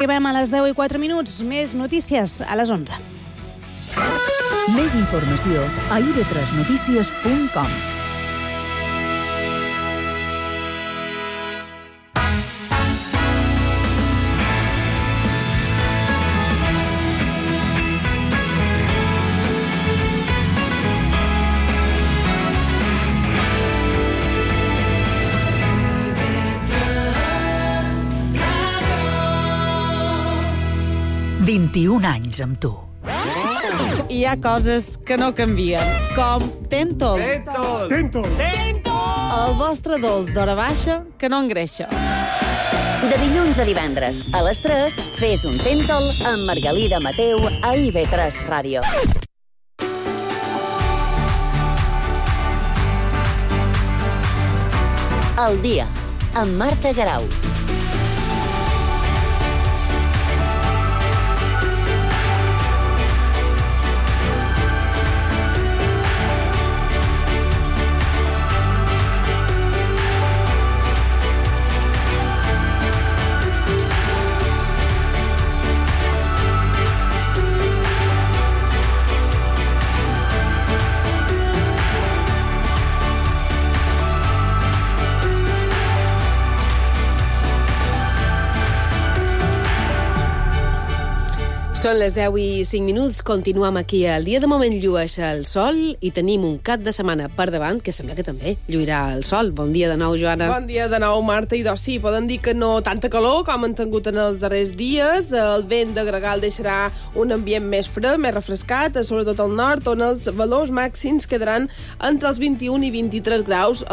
Arribem a les 10:04. Més notícies a les 11. Més informació a ib3notícies.com. «21 anys amb tu». Hi ha coses que no canvien, com Tentol. Tentol! El vostre dolç d'hora baixa que no engreixa. De dilluns a divendres, a les 3, fes un Tentol amb Margalida Mateu a IB3 Ràdio. El dia, amb Marta Garau. Són les 10:05. Continuem aquí al dia. De moment llueix el sol i tenim un cap de setmana per davant que sembla que també lluirà el sol. Bon dia de nou, Joana. Bon dia de nou, Marta. I doncs sí, poden dir que no tanta calor com han tingut en els darrers dies. El vent de gregal deixarà un ambient més fred, més refrescat, sobretot al nord, on els valors màxims quedaran entre els 21 i 23 graus,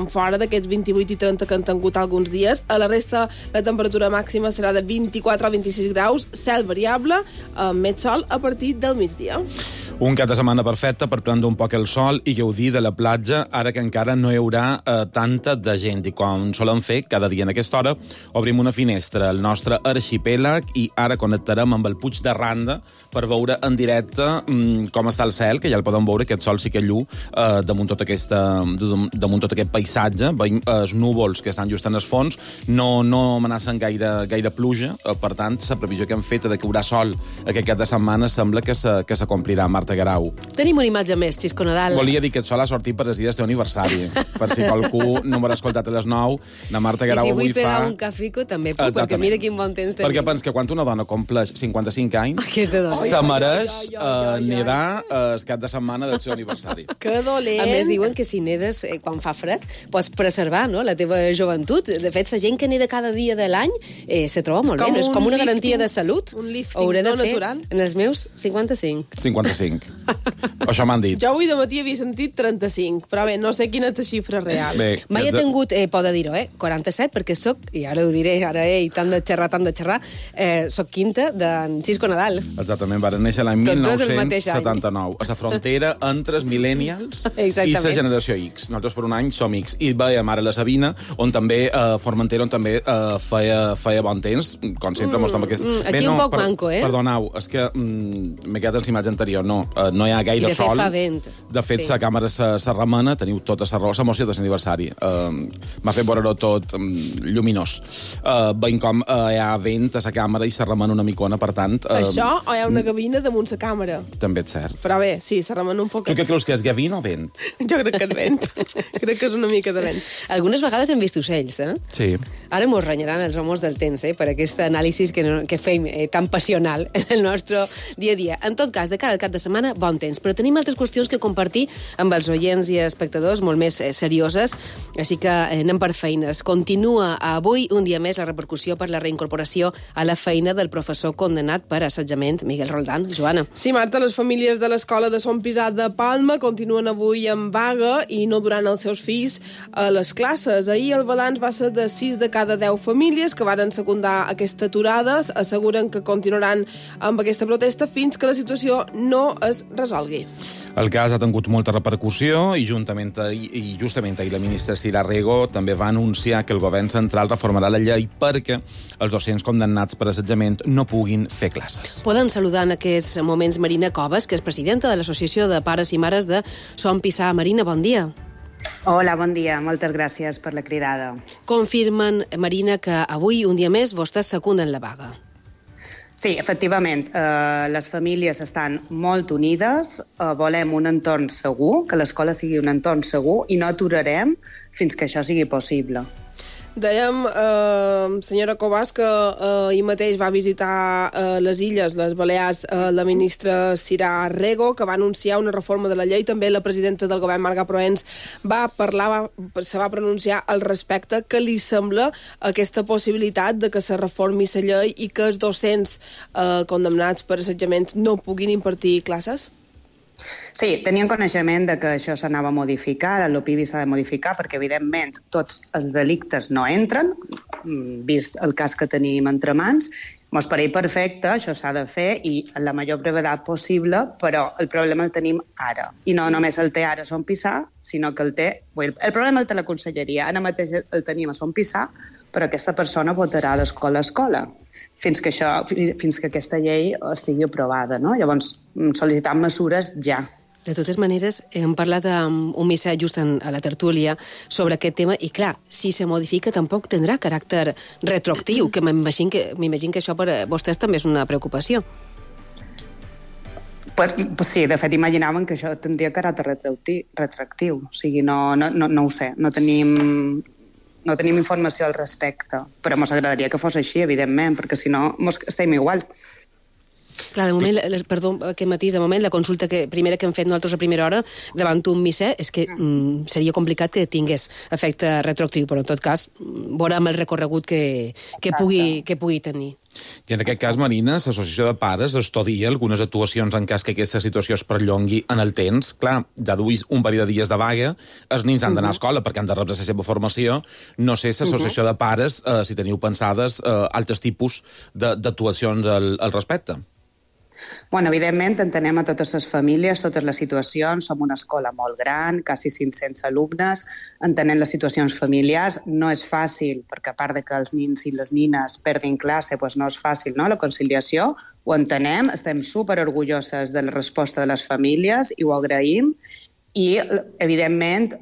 fora d'aquests 28 i 30 que han tingut alguns dies. A la resta, la temperatura màxima serà de 24 o 26 graus, cel variable, amb més sol a partir del migdia. Un cap de setmana perfecte per prendre un poc el sol i gaudir de la platja, ara que encara no hi haurà tanta de gent. I com solem fer cada dia en aquesta hora, obrim una finestra al nostre arxipèlag i ara connectarem amb el Puig de Randa per veure en directe com està el cel, que ja el podem veure, aquest sol sí que llu damunt tot aquest paisatge. Veiem els núvols que estan just en el fons, no amenacen gaire pluja, per tant, la previsió que hem fet de que hi haurà sol aquest cap de setmana sembla que s'acomplirà. Marta Garau. Tenim una imatge més, Xisco Nadal. Volia dir que el sol ha sortit per els dies del teu aniversari. Per si qualcú no m'haurà escoltat a les 9, la Marta Garau avui fa... I si vull pegar un cafico, també puc, perquè mira quin bon temps tenim. Perquè penso que quan una dona compleix 55 anys, que és de dos, se mereix nedar el cap de setmana del seu aniversari. Que dolent! A més, diuen que si nedes quan fa fred, pots preservar, no?, la teva joventut. De fet, la gent que neda cada dia de l'any se troba molt bé. És com una garantia de salut. Un lifting no natural. En els meus 55. 55. Això m'han dit. Jo avui de matí havia sentit 35, però bé, no sé quina és la xifra real. Bé, mai he tingut, pot dir-ho, 47, perquè soc, i ara ho diré, tant de xerrar, soc quinta d'en Xisco Nadal. Exactament, va néixer l'any 1979, a la frontera entre els millennials i la generació X. Nosaltres per un any som X. I veiem ara la Sabina, on també, Formentera, on també feia bon temps, com sempre mostrem aquest... Aquí un poc manco, Perdoneu, és que m'he quedat en la imatge anterior, no hi ha gaire sol. I de fet fa vent. De fet, la càmera se remena, teniu tota la raó, l'emoció de l'aniversari. M'ha fet veure-ho tot lluminós. Veiem com hi ha vent a la càmera i se remena una micona, per tant... Això o hi ha una gavina damunt la càmera? També és cert. Però bé, sí, se remena un poc. Tu què creus que és, gavina o vent? Jo crec que és vent. Crec que és una mica de vent. Algunes vegades hem vist ocells, Sí. Ara mos renyaran els homes del temps, per aquest anàlisi que fem tan passional en el nostre dia a dia. En tot cas, de cara al cap de setmana, bon temps. Però tenim altres qüestions que compartir amb els oients i espectadors molt més serioses, així que anem per feines. Continua avui, un dia més, la repercussió per la reincorporació a la feina del professor condemnat per assetjament, Miguel Roldán. Joana. Sí, Marta, les famílies de l'escola de Son Pisat de Palma continuen avui en vaga i no duran els seus fills a les classes. Ahir el balanç va ser de 6 de cada 10 famílies que varen secundar aquesta aturada. Asseguren que continuaran amb aquesta protesta fins que la situació no es resolgui. El cas ha tingut molta repercussió i justament ahir la ministra Sira Rego també va anunciar que el govern central reformarà la llei perquè els docents condemnats per assetjament no puguin fer classes. Poden saludar en aquests moments Marina Coves, que és presidenta de l'Associació de Pares i Mares de Son Pisà. Marina, bon dia. Hola, bon dia. Moltes gràcies per la cridada. Confirmen, Marina, que avui, un dia més, vostès secunden la vaga. Sí, efectivament, les famílies estan molt unides, volem un entorn segur, que l'escola sigui un entorn segur i no aturarem fins que això sigui possible. Dèiem, senyora Covas, que ahir mateix va visitar les Illes, les Balears, la ministra Sirà Rego, que va anunciar una reforma de la llei. També la presidenta del govern, Marga Proens, se va pronunciar al respecte. Què li sembla aquesta possibilitat de que se reformi la llei i que els docents condemnats per assetjaments no puguin impartir classes? Sí, tenien coneixement de que això s'anava a modificar, l'OPIBI s'ha de modificar, perquè, evidentment, tots els delictes no entren, vist el cas que tenim entre mans. Mos pareix perfecte, això s'ha de fer, i en la major brevetat possible, però el problema el tenim ara. I no només el té ara Son Pissar, sinó que el té... El problema el té la conselleria, ara mateix el tenim a Son Pissar, però aquesta persona votarà d'escola a escola fins que aquesta llei estigui aprovada, no? Llavors, sol·licitant mesures ja. De totes maneres, hem parlat amb un missatge just a la tertúlia sobre aquest tema i, clar, si se modifica tampoc tindrà caràcter retroactiu, que m'imagino que això per a vostès també és una preocupació. Pues sí, de fet, imaginaven que això tindria caràcter retroactiu. O sigui, no ho sé, no tenim informació al respecte, però ens agradaria que fos així, evidentment, perquè si no estem igual. Clar, de moment, perdó, aquest matís, de moment, la consulta primera que hem fet nosaltres a primera hora davant un misser és que seria complicat que tingués efecte retroactiu, però en tot cas veurem el recorregut que pugui tenir. I en aquest cas, Marina, l'Associació de Pares estudia algunes actuacions en cas que aquesta situació es perllongui en el temps. Clar, ja duis un parell de dies de vaga, els nens han d'anar a escola perquè han de rebre la seva formació. No sé, l'Associació de Pares, si teniu pensades altres tipus d'actuacions al respecte. Bueno, evidentment, entenem a totes les famílies, totes les situacions. Som una escola molt gran, quasi 500 alumnes. Entenem les situacions familiars. No és fàcil, perquè a part de que els nins i les nines perdin classe, doncs no és fàcil, no?, la conciliació. Ho entenem, estem superorgulloses de la resposta de les famílies i ho agraïm. I, evidentment,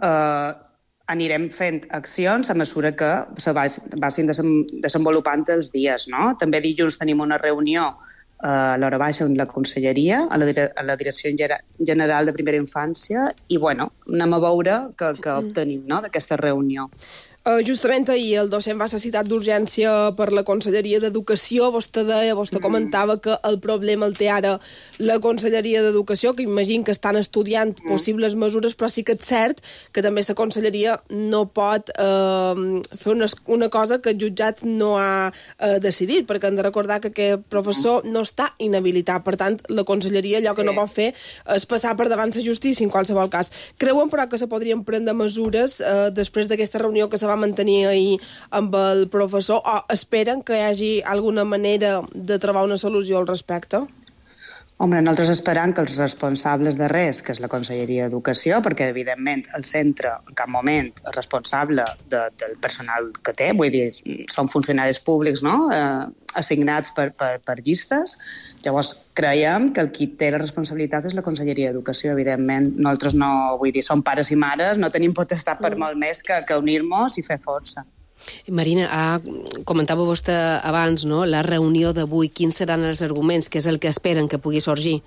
anirem fent accions a mesura que se vagin desenvolupant els dies, no? També dilluns tenim una reunió a l'hora baixa amb la conselleria, a la Direcció General de Primera Infància, i, bueno, anem a veure què obtenim, no?, d'aquesta reunió. Justament ahir el docent va ser citat d'urgència per la Conselleria d'Educació. Vostè comentava que el problema el té ara la Conselleria d'Educació, que imagino que estan estudiant possibles mesures, però sí que és cert que també la Conselleria no pot fer una cosa que el jutjat no ha decidit, perquè hem de recordar que aquest professor no està inhabilitat. Per tant, la Conselleria allò que no pot fer és passar per davant la justícia en qualsevol cas. Creuen, però, que se podrien prendre mesures després d'aquesta reunió que se va mantenir ahir amb el professor, o esperen que hi hagi alguna manera de trobar una solució al respecte? Home, nosaltres esperam que els responsables de res, que és la Conselleria d'Educació, perquè, evidentment, el centre en cap moment és responsable del personal que té, vull dir, són funcionaris públics, no?, assignats per llistes. Llavors, creiem que el qui té la responsabilitat és la Conselleria d'Educació, evidentment. Nosaltres no, vull dir, som pares i mares, no tenim potestat per molt més que unir-nos i fer força. Marina, comentava vostè abans, no?, la reunió d'avui, quins seran els arguments, què és el que esperen que pugui sorgir?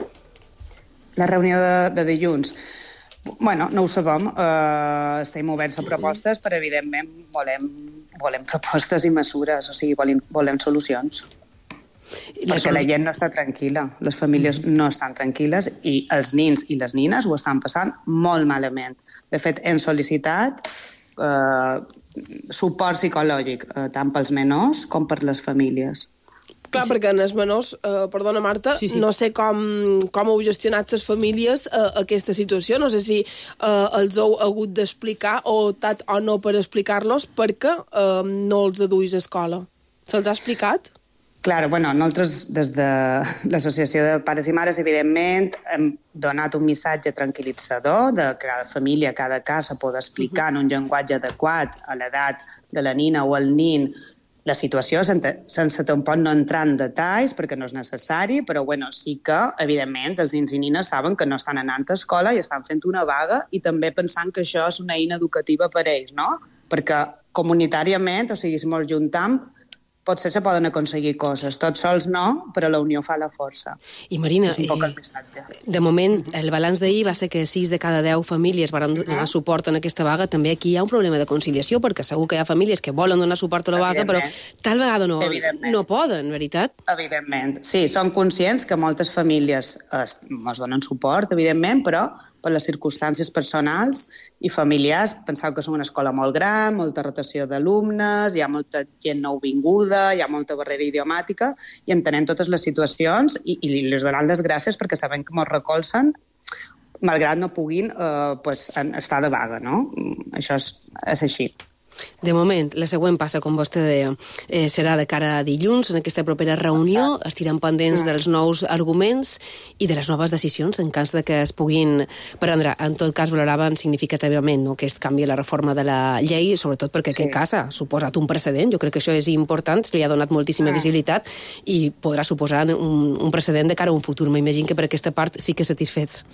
La reunió de dilluns. Bueno, no ho sabem, estem oberts a propostes, però evidentment volem propostes i mesures, o sigui, volem solucions. Perquè la gent no està tranquil·la, les famílies no estan tranquil·les i els nins i les nines ho estan passant molt malament. De fet, hem sol·licitat suport psicològic tant pels menors com per les famílies. Clar, perquè en els menors, perdona Marta, sí. No sé com heu gestionat les famílies aquesta situació, no sé si els heu hagut d'explicar o optat o no per explicar-los perquè no els duis a escola. Se'ls ha explicat? Clar, bueno, nosaltres des de l'Associació de Pares i Mares, evidentment, hem donat un missatge tranquil·litzador de que cada família, cada cas, pot explicar en un llenguatge adequat a l'edat de la nina o el nin la situació, sense tampoc no entrar en detalls, perquè no és necessari, però bueno, sí que, evidentment, els nins i nines saben que no estan anant a escola i estan fent una vaga i també pensant que això és una eina educativa per ells, no? Perquè comunitàriament, o sigui, si mos juntem, potser se poden aconseguir coses. Tots sols no, però la unió fa la força. I Marina, és un poc el missatge. De moment, el balanç d'ahir va ser que 6 de cada 10 famílies van donar suport en aquesta vaga. També aquí hi ha un problema de conciliació, perquè segur que hi ha famílies que volen donar suport a la vaga, però tal vegada no poden, veritat? Evidentment. Sí, som conscients que moltes famílies ens donen suport, evidentment, però per les circumstàncies personals i familiars, penseu que és una escola molt gran, molta rotació d'alumnes, hi ha molta gent nouvinguda, hi ha molta barrera idiomàtica, i entenem totes les situacions i els donem les gràcies perquè sabem que ens recolzen, malgrat no puguin estar de vaga, no? Això és així. De moment, la següent passa, com vostè deia, serà de cara a dilluns, en aquesta propera reunió. Estirem pendents dels nous arguments i de les noves decisions en cas de que es puguin prendre. En tot cas, valoraven significativament aquest canvi a la reforma de la llei, sobretot perquè aquest cas ha suposat un precedent. Jo crec que això és important, li ha donat moltíssima visibilitat i podrà suposar un precedent de cara a un futur. M'imagino que per aquesta part sí que satisfets.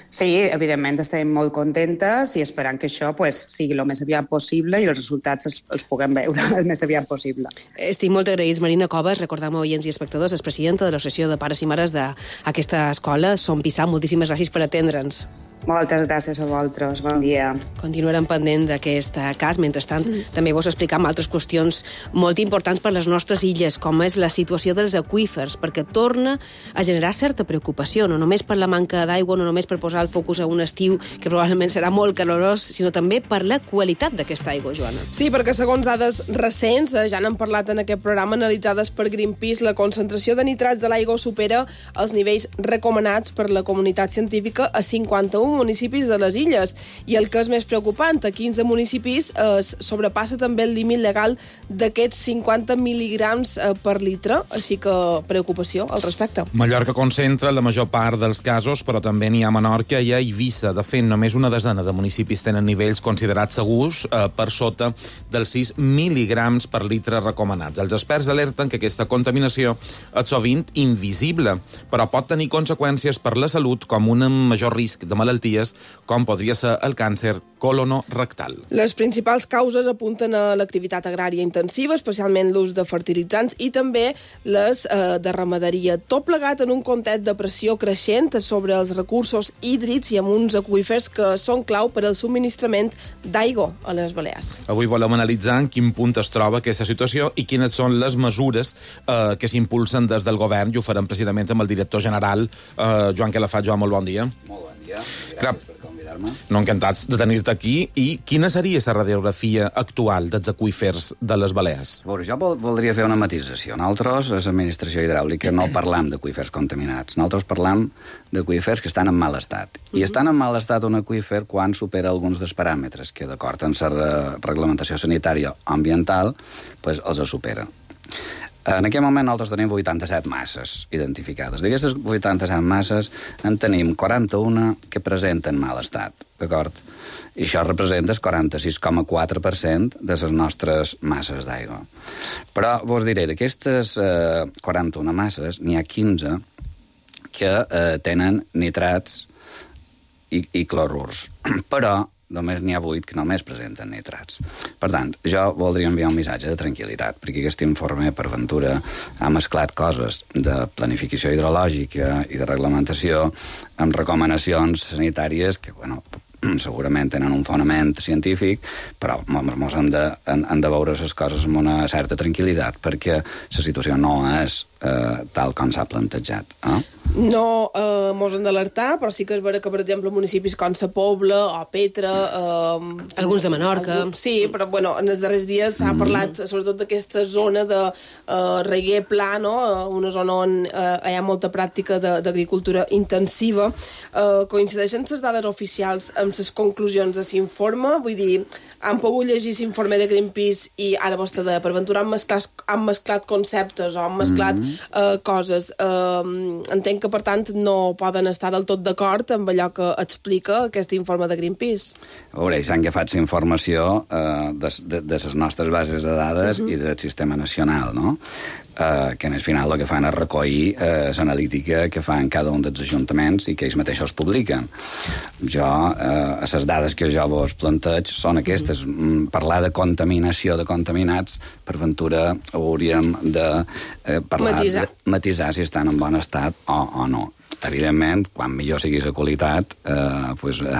Sí, evidentment estem molt contentes i esperant que això sigui el més aviat possible i els resultats els puguem veure el més aviat possible. Estic molt agraïts. Marina Coves, recordem a oients i espectadors, és presidenta de l'Associació de Pares i Mares d'aquesta escola. Som Pissà, moltíssimes gràcies per atendre'ns. Moltes gràcies a vosaltres, bon dia. Continuarem pendent d'aquest cas. Mentrestant, també vos explicam altres qüestions molt importants per les nostres illes, com és la situació dels aqüífers, perquè torna a generar certa preocupació, no només per la manca d'aigua, no només per posar el focus a un estiu que probablement serà molt calorós, sinó també per la qualitat d'aquesta aigua, Joana. Sí, perquè segons dades recents, ja n'hem parlat en aquest programa, analitzades per Greenpeace, la concentració de nitrats a l'aigua supera els nivells recomanats per la comunitat científica a 51 municipis de les illes. I el que és més preocupant, a 15 municipis es sobrepassa també el límit legal d'aquests 50 mil·ligrams per litre, així que preocupació al respecte. Mallorca concentra la major part dels casos, però també n'hi ha a Menorca i a Eivissa. De fet, només una desena de municipis tenen nivells considerats segurs per sota dels 6 mil·ligrams per litre recomanats. Els experts alerten que aquesta contaminació és sovint invisible, però pot tenir conseqüències per la salut, com un major risc de malalties, com podria ser el càncer colonorectal. Les principals causes apunten a l'activitat agrària intensiva, especialment l'ús de fertilitzants i també les de ramaderia. Tot plegat en un context de pressió creixent sobre els recursos hídrics i amb uns aqüífers que són clau per al subministrament d'aigua a les Balears. Avui volem analitzar en quin punt es troba aquesta situació i quines són les mesures que s'impulsen des del govern, i ho farem precisament amb el director general, Joan Calafat. Joan, molt bon dia. Molt bon dia. Gràcies per convidar-me. No, encantats de tenir-te aquí. I quina seria la radiografia actual dels aqüífers de les Balears? A veure, jo voldria fer una matisació. Nosaltres, a l'administració hidràulica, no parlam d'aqüífers contaminats. Nosaltres parlam d'aqüífers que estan en mal estat. I estan en mal estat un aqüífer quan supera alguns dels paràmetres que, d'acord amb la reglamentació sanitària o ambiental, els supera. En aquest moment nosaltres tenim 87 masses identificades. D'aquestes 87 masses en tenim 41 que presenten mal estat, d'acord? I això representa el 46,4% de les nostres masses d'aigua. Però vos diré, d'aquestes 41 masses n'hi ha 15 que tenen nitrats i clorurs. Però només n'hi ha 8 que només presenten nitrats. Per tant, jo voldria enviar un missatge de tranquil·litat, perquè aquest informe, per ventura, ha mesclat coses de planificació hidrològica i de reglamentació amb recomanacions sanitàries que, segurament tenen un fonament científic, però ens hem de veure les coses amb una certa tranquil·litat, perquè la situació no és tal com s'ha plantejat. No mos hem d'alertar, però sí que és vera que, per exemple, municipis com Sa Pobla o Petra... Alguns de Menorca. Sí, però en els darrers dies s'ha parlat sobretot d'aquesta zona de reguer pla, no? Una zona on hi ha molta pràctica d'agricultura intensiva. Coincideixen les dades oficials amb les conclusions de l'informe? Vull dir, han pogut llegir l'informe de Greenpeace i ara vostè de per ventura han mesclat conceptes o han mesclat coses. Entenc que, per tant, no poden estar del tot d'acord amb allò que explica aquest informe de Greenpeace. A veure, s'han agafat la informació de les nostres bases de dades i del sistema nacional, no? que en el final el que fan és recollir l'analítica que fan cada un dels ajuntaments i que ells mateixos publiquen. Les dades que jo vos planteig són aquestes. Parlar de contaminació de contaminats, per ventura hauríem de parlar de matisar si estan en bon estat o no. Evidentment, quan millor sigui la qualitat,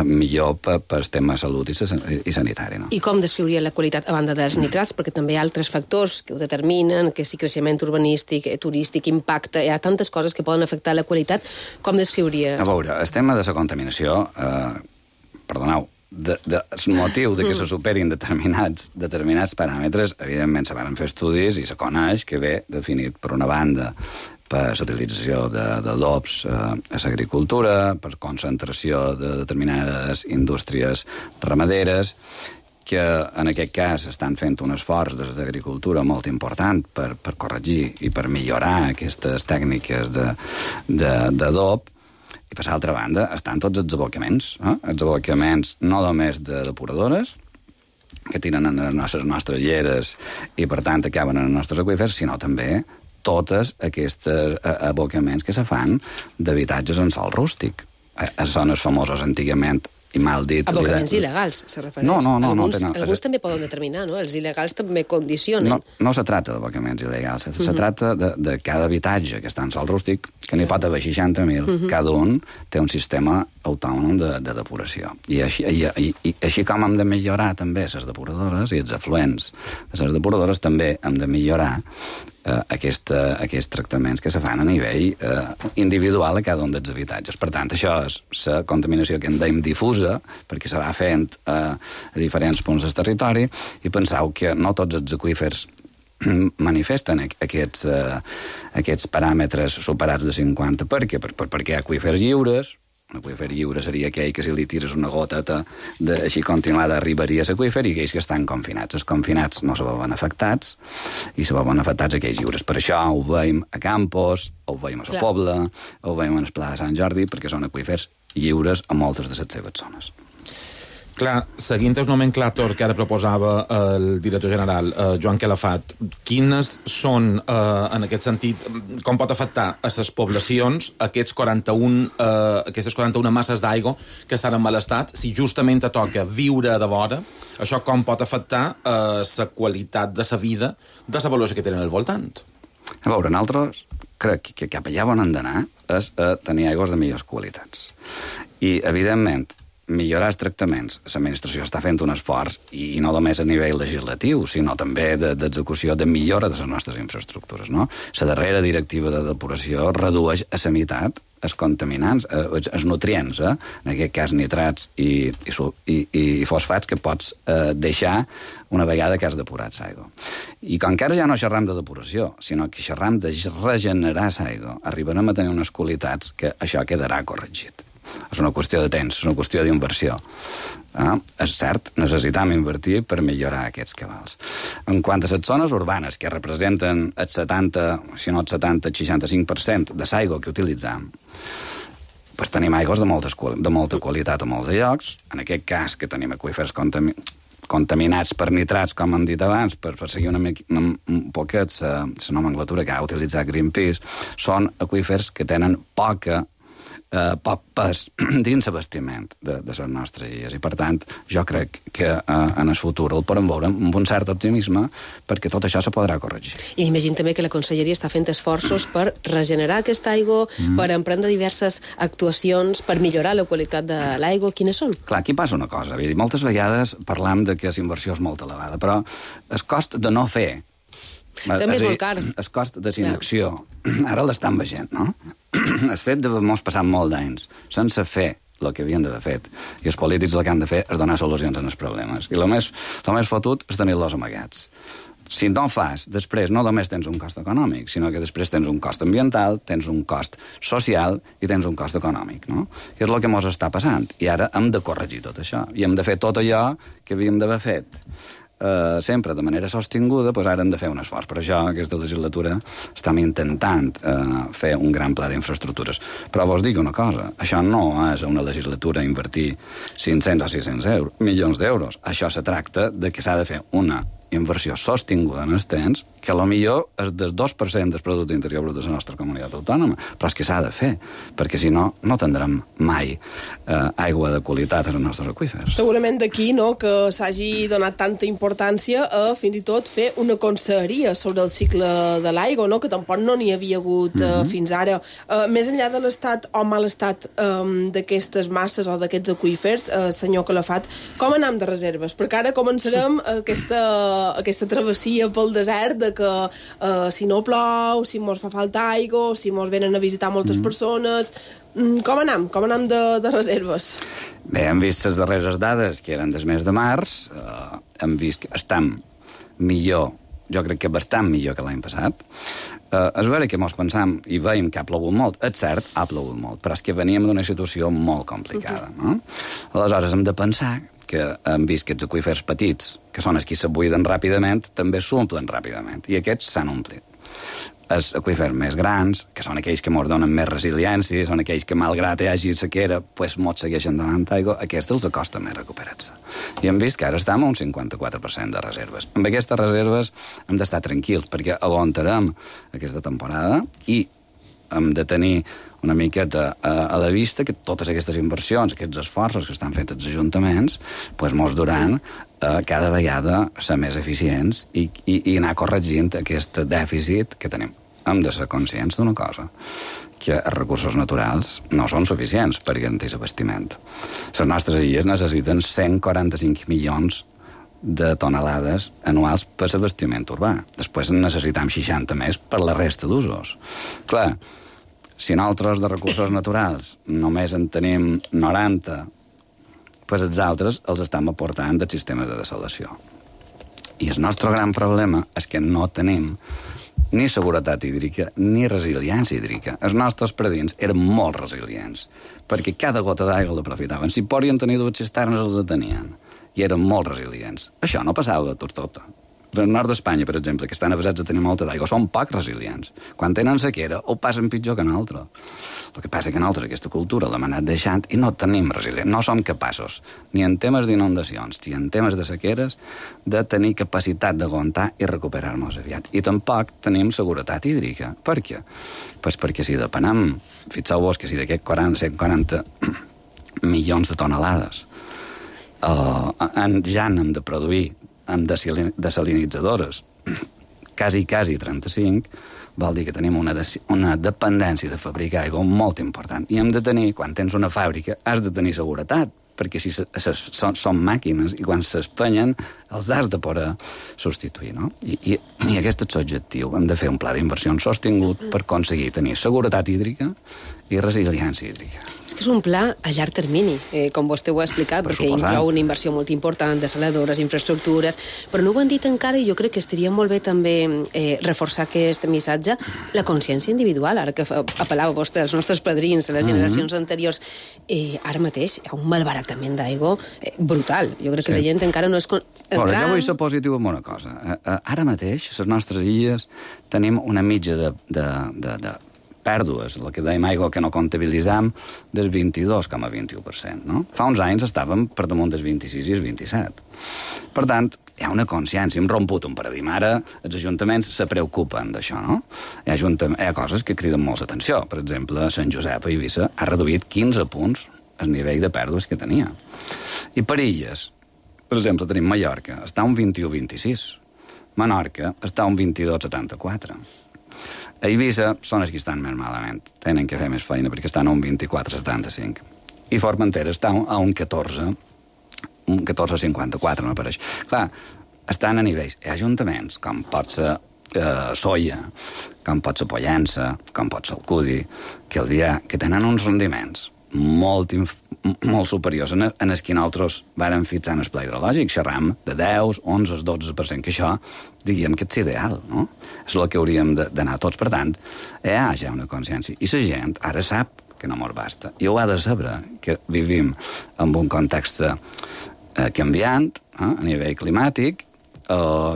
millor per tema de salut i sanitari. No? I com descriuria la qualitat a banda dels nitrats? Perquè també hi ha altres factors que ho determinen, que si creixement urbanístic, turístic, impacte, hi ha tantes coses que poden afectar la qualitat. Com descriuria? A veure, el tema de la contaminació, perdoneu, el motiu de que se superin determinats paràmetres, evidentment se van fer estudis i se coneix que ve definit per una banda per l'utilització d'adobs a l'agricultura, per concentració de determinades indústries ramaderes, que en aquest cas estan fent un esforç des d'agricultura molt important per corregir i per millorar aquestes tècniques d'adob. I per l'altra banda estan tots els abocaments, els abocaments no només de depuradores, que tiren en les nostres lleres i per tant acaben en els nostres aqüífers, sinó també tots aquests abocaments que se fan d'habitatges en sòl rústic. Són els famosos antigament i mal dit... Abocaments il·legals, se refereix. No. Alguns també poden determinar, no? Els il·legals també condicionen. No se tracta d'abocaments il·legals, se tracta de cada habitatge que està en sòl rústic, que n'hi pot haver 60.000, cada un té un sistema autònom de depuració. I així com hem de millorar també les depuradores i els afluents de les depuradores, també hem de millorar aquests tractaments que se fan a nivell individual a cada un dels habitatges. Per tant, això és la contaminació que en dèiem difusa, perquè se va fent a diferents punts del territori, i penseu que no tots els aqüífers manifesten aquests paràmetres superats de 50. Per què? Perquè hi ha aqüífers lliures. Un aqüífer lliure seria aquell que si li tires una goteta així continuada arribaria a l'aqüífer, i aquells que estan confinats. Els confinats no se veuen afectats i se veuen afectats aquells lliures. Per això ho veiem a Campos, ho veiem a la Pobla, ho veiem a el Pla de Sant Jordi, perquè són aqüífers lliures a moltes de les seves zones. Clar, seguint el nomenclàtor que ara proposava el director general, Joan Calafat, quines són, en aquest sentit, com pot afectar a les poblacions aquestes 41 masses d'aigua que estan en mal estat, si justament te toca viure de vora, això com pot afectar la qualitat de la vida de la població que tenen al voltant? A veure, nosaltres crec que cap allà on hem d'anar és tenir aigües de millors qualitats. I, evidentment, millorar els tractaments. L'administració està fent un esforç, i no només a nivell legislatiu, sinó també d'execució de millora de les nostres infraestructures. No? La darrera directiva de depuració redueix a la meitat els contaminants, els nutrients, en aquest cas nitrats i fosfats, que pots deixar una vegada que has depurat l'aigua. I com que ara ja no xerram de depuració, sinó que xerram de regenerar l'aigua, arribarem a tenir unes qualitats que això quedarà corregit. És una qüestió de temps, és una qüestió d'inversió. És cert, necessitam invertir per millorar aquests cabals. En quant a les zones urbanes, que representen el 70, si no el 70, el 65% de l'aigua que utilitzam, doncs tenim aigües de molta qualitat a molts de llocs. En aquest cas, que tenim aqüífers contaminats per nitrats, com hem dit abans, per seguir un poquet la nomenclatura que ha utilitzat Greenpeace, són aqüífers que tenen poc pes dins l'abastiment de les nostres illes. I, per tant, jo crec que en el futur el podem veure amb un cert optimisme, perquè tot això se podrà corregir. I m'imagino també que la Conselleria està fent esforços per regenerar aquesta aigua, per emprendre diverses actuacions, per millorar la qualitat de l'aigua. Quines són? Clar, aquí passa una cosa. Moltes vegades parlam de que la inversió és molt elevada, però el cost de no fer, també és molt car. El cost de inacció, ara l'estan veient, no? El fet de mos passar molt d'anys sense fer el que havien d'haver fet, i els polítics el que han de fer és donar solucions als problemes. I el més fotut és tenir-los amagats. Si no fas, després no només tens un cost econòmic, sinó que després tens un cost ambiental, tens un cost social i tens un cost econòmic, no? I és el que mos està passant. I ara hem de corregir tot això. I hem de fer tot allò que havíem d'haver fet sempre de manera sostinguda, doncs ara hem de fer un esforç. Per això, aquesta legislatura, estem intentant fer un gran pla d'infraestructures. Però vos dic una cosa, això no és una legislatura invertir 500 o 600 milions d'euros. Això se tracta de que s'ha de fer una inversió sostinguda en el temps, que millor és del 2% del producte interior brut de la nostra comunitat autònoma, però és que s'ha de fer, perquè si no, no tindrem mai aigua de qualitat als nostres aqüífers. Segurament d'aquí, no?, que s'hagi donat tanta importància a fins i tot fer una conselleria sobre el cicle de l'aigua, no?, que tampoc no n'hi havia hagut fins ara. Més enllà de l'estat o mal estat d'aquestes masses o d'aquests aqüífers, senyor Calafat, com anem de reserves? Perquè ara començarem aquesta travessia pel desert de que si no plou, si mos fa falta aigua, si mos venen a visitar moltes persones... Com anem? Com anem de reserves? Bé, hem vist les darreres dades, que eren del mes de març, hem vist que estem millor, jo crec que bastant millor que l'any passat. És vera que mos pensam i veiem que ha plogut molt. És cert, ha plogut molt, però és que veníem d'una situació molt complicada. No? Aleshores, hem de pensar que hem vist que aquests aqüífers petits, que són els que se buiden ràpidament, també s'omplen ràpidament, i aquests s'han omplit. Els aqüífers més grans, que són aquells que ens donen més resiliència, són aquells que, malgrat hi hagi sequera, pues, ens segueixen donant aigua, aquests els costa més recuperar-se. I hem vist que ara estem a un 54% de reserves. Amb aquestes reserves hem d'estar tranquils, perquè aguantarem aquesta temporada i hem de tenir una miqueta a la vista que totes aquestes inversions, aquests esforços que estan fets els ajuntaments, pues, mos duran cada vegada ser més eficients i anar corregint aquest dèficit que tenim. Hem de ser conscients d'una cosa, que els recursos naturals no són suficients per garantir l'abastiment. Les nostres illes necessiten 145 milions de tonelades anuals per l'abastiment urbà. Després en necessitam 60 més per la resta d'usos. Clar, si nosaltres de recursos naturals només en tenim 90, doncs els altres els estem aportant del sistema de dessalació. I el nostre gran problema és que no tenim ni seguretat hídrica ni resiliència hídrica. Els nostres predins eren molt resilients, perquè cada gota d'aigua l'aprofitaven. Si podien tenir dues cisternes, els tenien. I eren molt resilients. Això no passava de tot. El nord d'Espanya, per exemple, que estan avasats a tenir molta d'aigua, són poc resilients. Quan tenen sequera, ho passen pitjor que nosaltres. El que passa que nosaltres aquesta cultura l'hem anat deixant i no tenim resilients. No som capaços, ni en temes d'inundacions, ni en temes de sequeres, de tenir capacitat d'aguantar i recuperar-nos aviat. I tampoc tenim seguretat hídrica. Per què? Pues perquè si depenem, fixeu-vos que si d'aquests 140 milions de tonelades ja n'hem de produir amb desalinitzadores quasi 35, vol dir que tenim una dependència de fabricar aigua molt important. I hem de tenir, quan tens una fàbrica, has de tenir seguretat, perquè si són màquines i quan s'espenyen els has de poder substituir, no? I aquest és l'objectiu. Hem de fer un pla d'inversió sostingut per aconseguir tenir seguretat hídrica i resiliència hídrica. És que és un pla a llarg termini, com vostè ho ha explicat, perquè inclou una inversió molt important, desaladores, infraestructures, però no ho han dit encara i jo crec que estaria molt bé també reforçar aquest missatge, la consciència individual, ara que apel·lava vostè als nostres padrins, a les generacions anteriors. Ara mateix hi ha un malbaratament d'aigua brutal. Jo crec que la gent encara no és... Però jo vull ser positiu amb una cosa. Ara mateix, a les nostres illes, tenim una mitja de pèrdues, el que dèiem aigua que no comptabilitzam, del 22,21%. No? Fa uns anys estàvem per damunt del 26 i el 27. Per tant, hi ha una consciència, hem romput un paradigma. Ara els ajuntaments se preocupen d'això, no? Hi ha coses que criden molt l'atenció. Per exemple, Sant Josep a Eivissa ha reduït 15 punts el nivell de pèrdues que tenia. I per illes, per exemple, tenim Mallorca, està a un 21,26. Menorca està a un 22,74. A Eivissa són els que estan més malament. Tenen que fer més feina perquè estan a un 24,75. I Formentera està a un 14,54, m'apareix. Clar, estan a nivells. Hi ha ajuntaments, com pot ser Soia, com pot ser Pollença, com pot ser Alcudi, que tenen uns rendiments molt superiors en els que nosaltres vàrem fixar en el pla hidrològic. Xerram de 10, 11, 12%, que això, diríem que és ideal, no? És el que hauríem d'anar tots. Per tant, hi ha ja una consciència. I la gent ara sap que no mos basta. I ho ha de saber, que vivim en un context canviant, a nivell climàtic,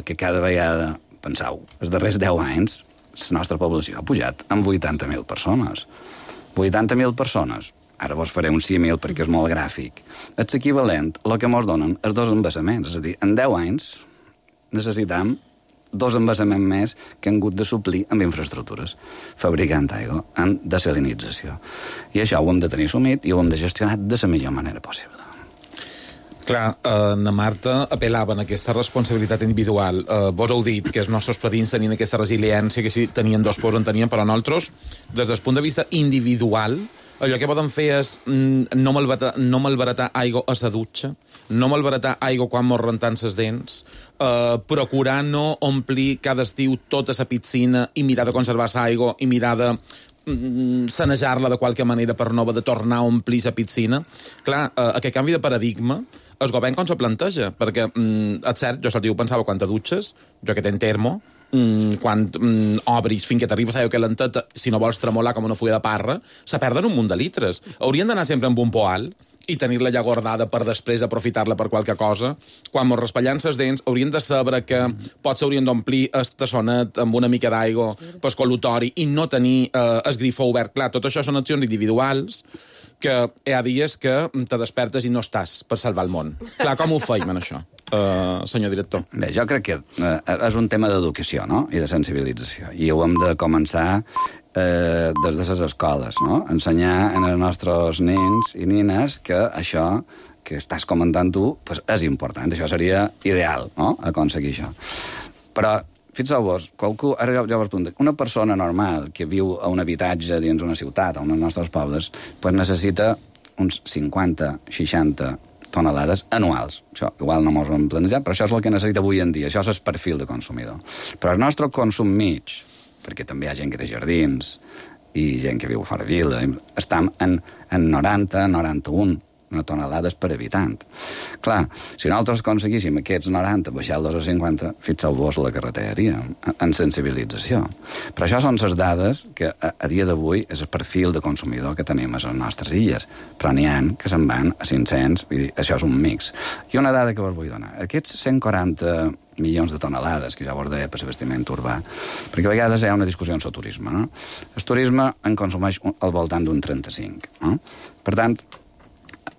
que cada vegada, penseu, els darrers 10 anys, la nostra població ha pujat en 80.000 persones. 80.000 persones. Ara vos faré un símil perquè és molt gràfic. És equivalent a el que mos donen els 2 embassaments. És a dir, en 10 anys necessitam 2 embassaments més que han hagut de suplir amb infraestructures, fabricant aigua en desalinització. I això ho hem de tenir assumit i ho hem de gestionar de la millor manera possible. Clar, na Marta apel·lava a aquesta responsabilitat individual. Vos heu dit que els nostres predins tenien aquesta resiliència, que si tenien 2 pors en tenien, però nosaltres, des del punt de vista individual, allò que poden fer és no malbaratar aigua a la dutxa, no malbaratar aigua quan mos rentant les dents, procurar no omplir cada estiu tota la piscina i mirar de conservar l'aigua i mirar de sanejar-la de qualque manera per no haver de tornar a omplir la piscina. Clar, aquest canvi de paradigma el govern com se planteja, perquè és cert, jo l'estiu pensava quan te dutxes, jo que tenc termo, quan obris fins que t'arribes a aigua calenteta, si no vols tremolar com una fulla de parra, se perden un munt de litres. Haurien d'anar sempre amb un poal i tenir-la ja guardada per després aprofitar-la per qualque cosa. Quan mos raspallant les dents, haurien de saber que potser haurien d'omplir el tassonet amb una mica d'aigua pel col·lutori i no tenir el grifó obert. Clar, tot això són accions individuals que hi ha dies que te despertes i no estàs per salvar el món. Clar, com ho feim, en això, senyor director? Bé, jo crec que és un tema d'educació, no?, i de sensibilització. I ho hem de començar des de les escoles, no?, ensenyar als nostres nens i nines que això que estàs comentant tu pues, és important. Això seria ideal, no?, aconseguir això. Però fixeu-vos, ara jo vos pregunto, una persona normal que viu a un habitatge dins una ciutat, a un dels nostres pobles, pues necessita uns 50-60 tonelades anuals. Això igual no mos ho hem plantejat, però això és el que necessita avui en dia. Això és el perfil de consumidor. Però el nostre consum mig, perquè també hi ha gent que té jardins i gent que viu fora vila, estem en 90-91 tonelades per habitant. Clar, si nosaltres aconseguíssim aquests 90 baixar-los a 50, fixeu-vos la carretera en sensibilització. Però això són les dades que a dia d'avui és el perfil de consumidor que tenim a les nostres illes. Però n'hi ha que se'n van a 500, vull dir, això és un mix. I una dada que vos vull donar. Aquests 140 milions de tonelades, que ja vos deia per l'abastiment urbà, perquè a vegades hi ha una discussió en el turisme, no? El turisme en consumeix al voltant d'un 35, no? Per tant,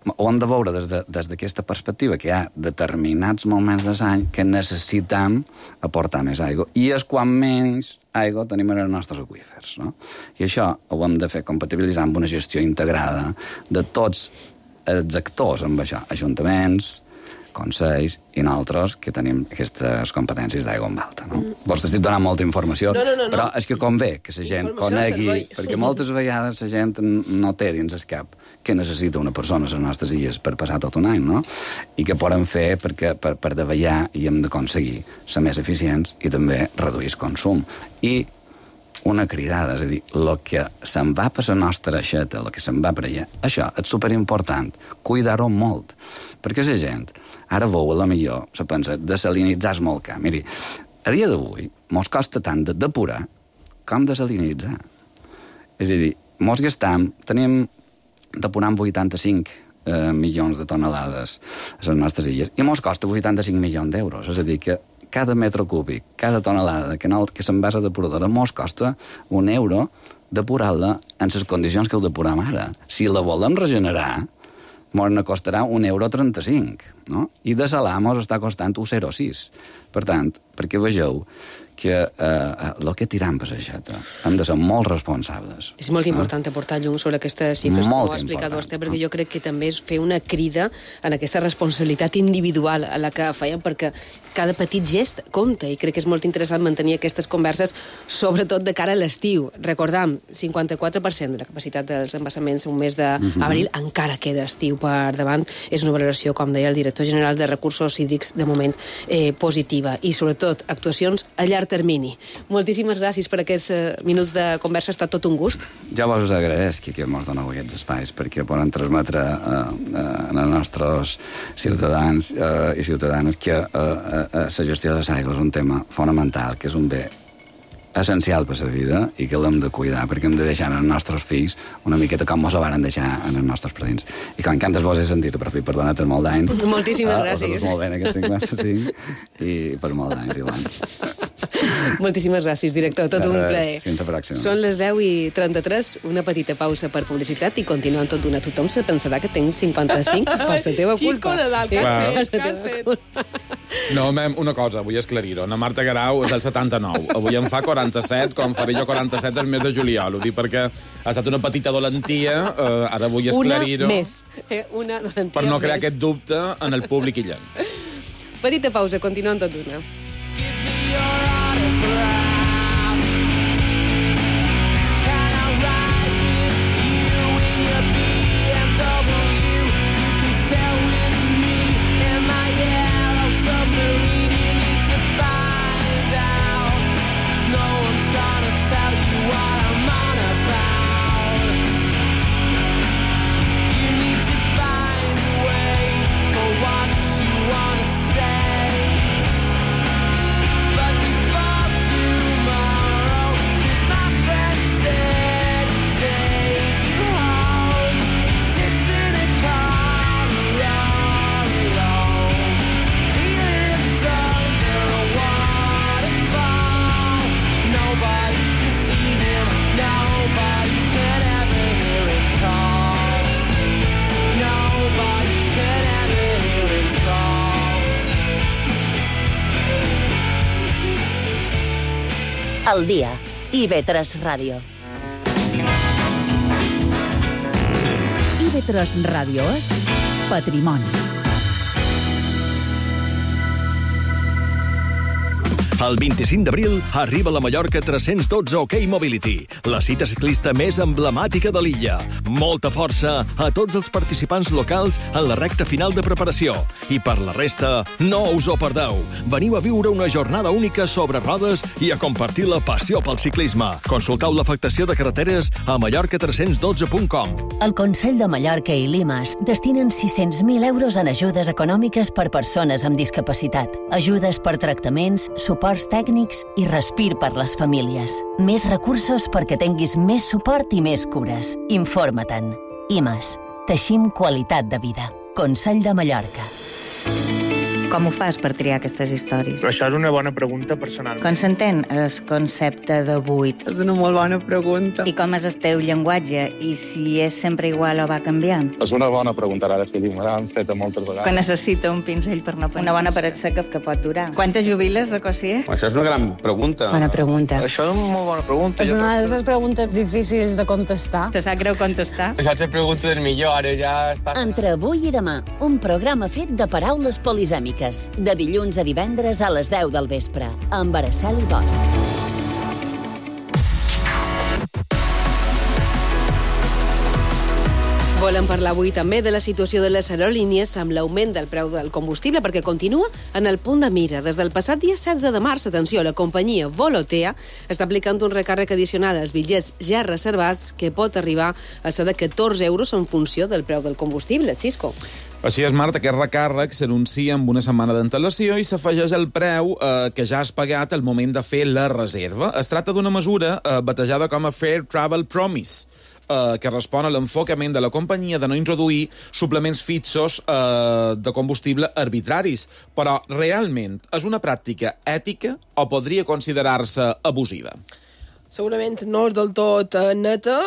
ho hem de veure des d'aquesta perspectiva, que hi ha determinats moments de l'any que necessitem aportar més aigua, i és quan menys aigua tenim en els nostres aqüífers, no? I això ho hem de fer compatibilitzar amb una gestió integrada de tots els actors amb això, ajuntaments, consells i nosaltres que tenim aquestes competències d'aigua en alta, no? Vos t'estic donant molta informació, no. però és que convé que la gent conegui, perquè moltes vegades la gent no té dins el cap que necessita una persona a les nostres illes per passar tot un any, no? I que poden fer per davallar i hem d'aconseguir ser més eficients i també reduir el consum. I una cridada, és a dir, el que se'n va per la nostra aixeta, el que se'n va per allà, això és superimportant, cuidar-ho molt, perquè la gent ara veu, a la millor, se pensa, desalinitzar és molt car. Miri, a dia d'avui mos costa tant de depurar com desalinitzar. És a dir, mos gastam, tenim depurant 85 milions de tonelades a les nostres illes, i mos costa 85 milions d'euros. És a dir, que cada metre cúbic, cada tonelada que s'envasa a depuradora mos costa €1 depurar-la en les condicions que ho depuram ara. Si la volem regenerar, mos ne costarà €1,35, no? I desalar mos està costant €1,06. Per tant, perquè vegeu que el que tiram per l'aixeta hem de ser molt responsables. És molt important aportar llum sobre aquestes xifres, com ho ha explicat vostè, perquè jo crec que també és fer una crida en aquesta responsabilitat individual a la que feien, perquè cada petit gest compta, i crec que és molt interessant mantenir aquestes converses, sobretot de cara a l'estiu. Recordam, 54% de la capacitat dels embassaments un mes d'abril encara queda estiu per davant. És una valoració, com deia el director general de Recursos Hídrics, de moment positiva, i sobretot actuacions a llarg termini. Moltíssimes gràcies per aquests minuts de conversa, ha estat tot un gust. Jo vos agraeix que mos doneu aquests espais perquè poden transmetre als nostres ciutadans i ciutadanes que la gestió de l'aigua és un tema fonamental, que és un bé essencial per la vida i que l'hem de cuidar, perquè hem de deixar als nostres fills una miqueta com mos ho varen deixar als nostres predins. I com que antes vos he sentit, per fi, perdona-te molt d'anys. Moltíssimes gràcies. Molt bé en aquest 55 i per molt d'anys, Ivans. Moltíssimes gràcies, director. Tot un plaer. Fins la pròxima. Són les 10:33, una petita pausa per publicitat i continuant tot d'una. Tothom se pensarà que tinc 55 per la teva culpa. Xisco Nadal, que has fet? No, una cosa, vull esclarir-ho. Na Marta Garau és del 79. Avui en fa 47, com faré jo 47 el mes de juliol. Ho dic perquè ha estat una petita dolentia, ara vull esclarir-ho. Una més. Una dolentia per no crear més. aquest dubte en el públic illenc. Petita pausa, continuem tot d'una. Al dia, IB3 Ràdio. IB3 Ràdio és Patrimoni. El 25 d'abril arriba a la Mallorca 312 OK Mobility, la cita ciclista més emblemàtica de l'illa. Molta força a tots els participants locals en la recta final de preparació. I per la resta, no us ho perdeu. Veniu a viure una jornada única sobre rodes i a compartir la passió pel ciclisme. Consulteu l'afectació de carreteres a mallorca312.com. El Consell de Mallorca i Limas destinen 600.000 euros en ajudes econòmiques per persones amb discapacitat, ajudes per tractaments, suports tècnics i respir per les famílies. Més recursos perquè tinguis més suport i més cures. Informa-te'n. IMAS. Teixim qualitat de vida. Consell de Mallorca. Com ho fas per triar aquestes històries? Però això és una bona pregunta personal. Com s'entén el concepte de buit? És una molt bona pregunta. I com és el teu llenguatge? I si és sempre igual o va canviant? És una bona pregunta, ara sí, me l'han fet moltes vegades. Que necessita un pinzell per no pensar. Una bona paret seca que pot durar. Quantes jubiles de Cossier? Això és una gran pregunta. Bona pregunta. Això és una molt bona pregunta. És una de les preguntes difícils de contestar. Te sap greu contestar? Això és la pregunta del millor, ara ja està... Entre avui i demà, un programa fet de paraules polisèmiques. De dilluns a divendres a les 10 del vespre, amb Araceli Bosch. Volem parlar avui també de la situació de les aerolínies amb l'augment del preu del combustible, perquè continua en el punt de mira. Des del passat dia 16 de març, atenció, la companyia Volotea està aplicant un recàrrec addicional als bitllets ja reservats que pot arribar a ser de 14 euros en funció del preu del combustible. Xisco. Així és, Marta, aquest recàrrec s'anuncia amb una setmana d'antelació i s'afegeix el preu que ja has pagat al moment de fer la reserva. Es tracta d'una mesura batejada com a Fair Travel Promise, que respon a l'enfocament de la companyia de no introduir suplements fixos de combustible arbitraris. Però realment és una pràctica ètica o podria considerar-se abusiva? Segurament no és del tot neta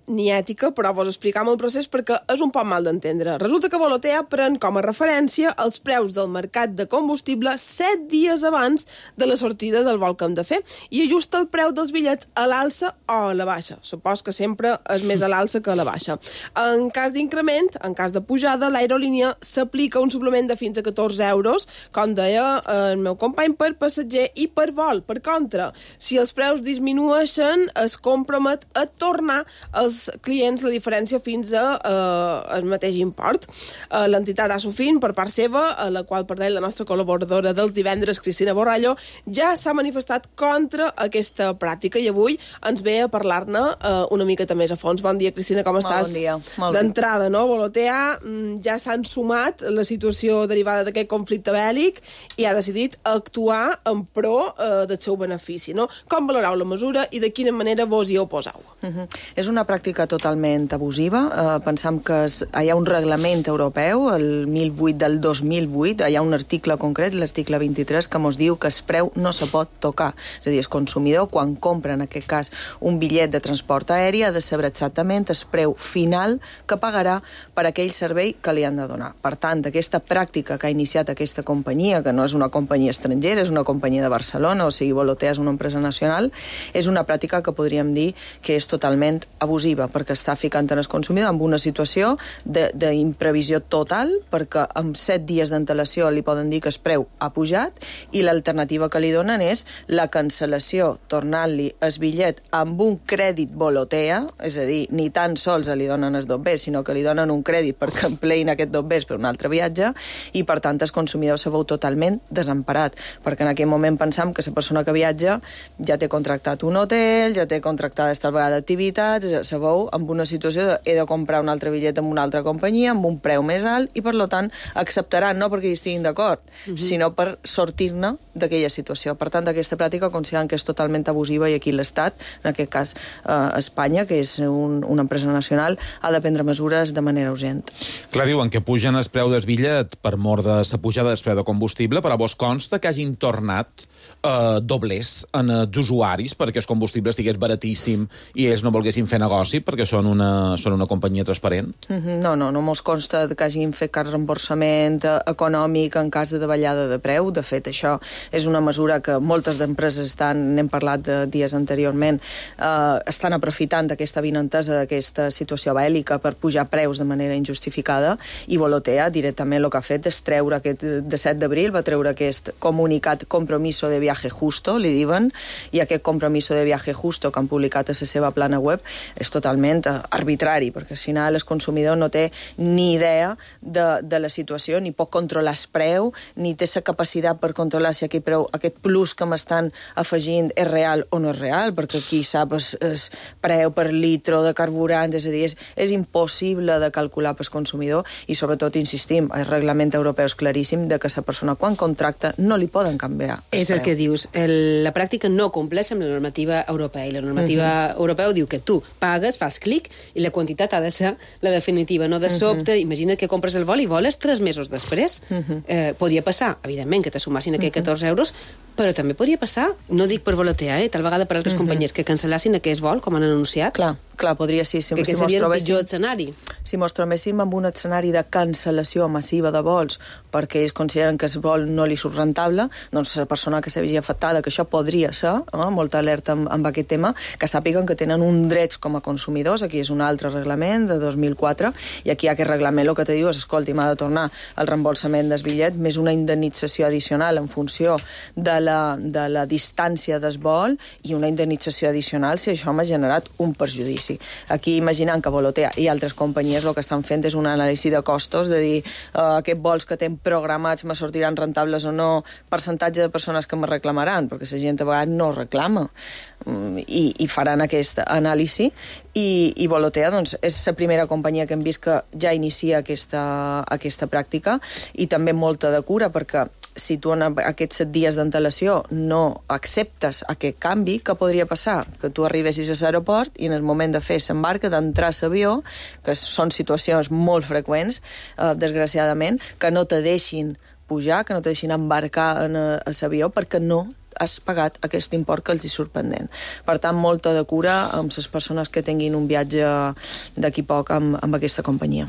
ni ètica, però vos explicam el procés perquè és un poc mal d'entendre. Resulta que Volotea pren com a referència els preus del mercat de combustible 7 dies abans de la sortida del vol que hem de fer i ajusta el preu dels bitllets a l'alça o a la baixa. Supos que sempre és més a l'alça que a la baixa. En cas d'increment, en cas de pujada, l'aerolínia s'aplica un suplement de fins a 14 euros, com deia el meu company, per passatger i per vol. Per contra, si els preus disminueixen, es compromet a tornar als clients la diferència fins a el mateix import. L'entitat Asofin, per part seva, a la qual per la nostra col·laboradora dels divendres, Cristina Borrallo, ja s'ha manifestat contra aquesta pràctica i avui ens ve a parlar-ne una miqueta més a fons. Bon dia, Cristina, com estàs? Bon dia. D'entrada, no? Volotea ja s'han sumat la situació derivada d'aquest conflicte bèl·lic i ha decidit actuar en pro del seu benefici, no? Com valoreu la mesura mesura i de quina manera vos hi oposeu. És una pràctica totalment abusiva. Pensam que hi ha un reglament europeu, el 1008 del 2008, hi ha un article concret, l'article 23, que ens diu que el preu no se pot tocar. És a dir, el consumidor, quan compra, en aquest cas, un bitllet de transport aeri, ha de saber exactament el preu final que pagarà per aquell servei que li han de donar. Per tant, aquesta pràctica que ha iniciat aquesta companyia, que no és una companyia estrangera, és una companyia de Barcelona, o sigui, Volotea és una empresa nacional, és una pràctica que podríem dir que és totalment abusiva, perquè està ficant en el consumidor en una situació d'imprevisió total, perquè amb 7 dies d'antelació li poden dir que el preu ha pujat, i l'alternativa que li donen és la cancel·lació, tornant-li el bitllet amb un crèdit Volotea, és a dir, ni tan sols li donen els dobbers, sinó que li donen un crèdit perquè empleïn aquest dobbers per un altre viatge, i per tant el consumidor se veu totalment desemparat, perquè en aquell moment pensam que la persona que viatja ja té contractat un hotel, ja té contractades tal vegada activitats, se veu amb una situació de he de comprar un altre bitllet amb una altra companyia, amb un preu més alt, i per tant acceptaran, no perquè hi estiguin d'acord, sinó per sortir-ne d'aquella situació. Per tant, aquesta pràctica consideren que és totalment abusiva, i aquí l'Estat, en aquest cas Espanya, que és una empresa nacional, ha de prendre mesures de manera urgent. Clar, diuen que pugen el preu del bitllet per mort de la pujada del preu de combustible, però vos consta que hagin tornat doblers en els usuaris perquè el combustible estigués baratíssim i ells no volguessin fer negoci perquè són una companyia transparent? No mos consta que hagin fet cap reemborsament econòmic en cas de davallada de preu. De fet, això és una mesura que moltes d'empreses n'hem parlat dies anteriorment, estan aprofitant d'aquesta avinentesa, d'aquesta situació bèl·lica per pujar preus de manera injustificada, i Volotea directament el que ha fet és treure aquest, de 7 d'abril, va treure aquest comunicat compromiso de viaje justo, li diuen, i aquest compromiso de viaje justo que han publicat a la seva plana web és totalment arbitrari, perquè al final el consumidor no té ni idea de la situació, ni pot controlar el preu, ni té la capacitat per controlar si aquest plus que m'estan afegint és real o no és real, perquè qui sap el preu per litro de carburant, és a dir, és impossible de calcular pel consumidor, i sobretot, insistim, el reglament europeu és claríssim de que la persona quan contracta no li poden canviar el És el que dius, la pràctica no compleix amb la normativa europea, i la normativa europea diu que tu pagues, fas clic, i la quantitat ha de ser la definitiva, no de sobte. Imagina't que compres el vol i voles 3 mesos després. Podria passar, evidentment, que te sumassin aquells 14 euros, però també podria passar, no dic per Volotea, tal vegada per altres companyies que cancel·lassin aquest vol, com han anunciat. Clar, podria ser. Que seria el pitjor escenari. Si mos trobéssim amb un escenari de cancel·lació massiva de vols perquè ells consideren que el vol no li surt rentable, doncs la persona que s'hagi afectada, que això podria ser, molta alerta amb aquest tema, que sàpiguen que tenen un drets com a consumidors. Aquí és un altre reglament de 2004, i aquí aquest reglament el que te diu és, escolti, m'ha de tornar el reembolsament del bitllet més una indemnització addicional en funció de la distància del vol, i una indemnització addicional si això m'ha generat un perjudici. Aquí, imaginant que Volotea i altres companyies el que estan fent és una anàlisi de costos, de dir, aquests vols que tenen programats me sortiran rentables o no, percentatge de persones que me reclamaran, perquè la gent a vegades no reclama, i faran aquesta anàlisi, i Volotea doncs, és la primera companyia que hem vist que ja inicia aquesta pràctica, i també molta de cura, perquè si tu en aquests 7 dies d'antelació no acceptes aquest canvi, què podria passar? Que tu arribessis a l'aeroport i en el moment de fer l'embarca, d'entrar a l'avió, que són situacions molt freqüents, desgraciadament, que no te deixin pujar, que no te deixin embarcar a l'avió perquè no has pagat aquest import que els hi surt pendent. Per tant, molta de cura amb les persones que tinguin un viatge d'aquí poc amb aquesta companyia.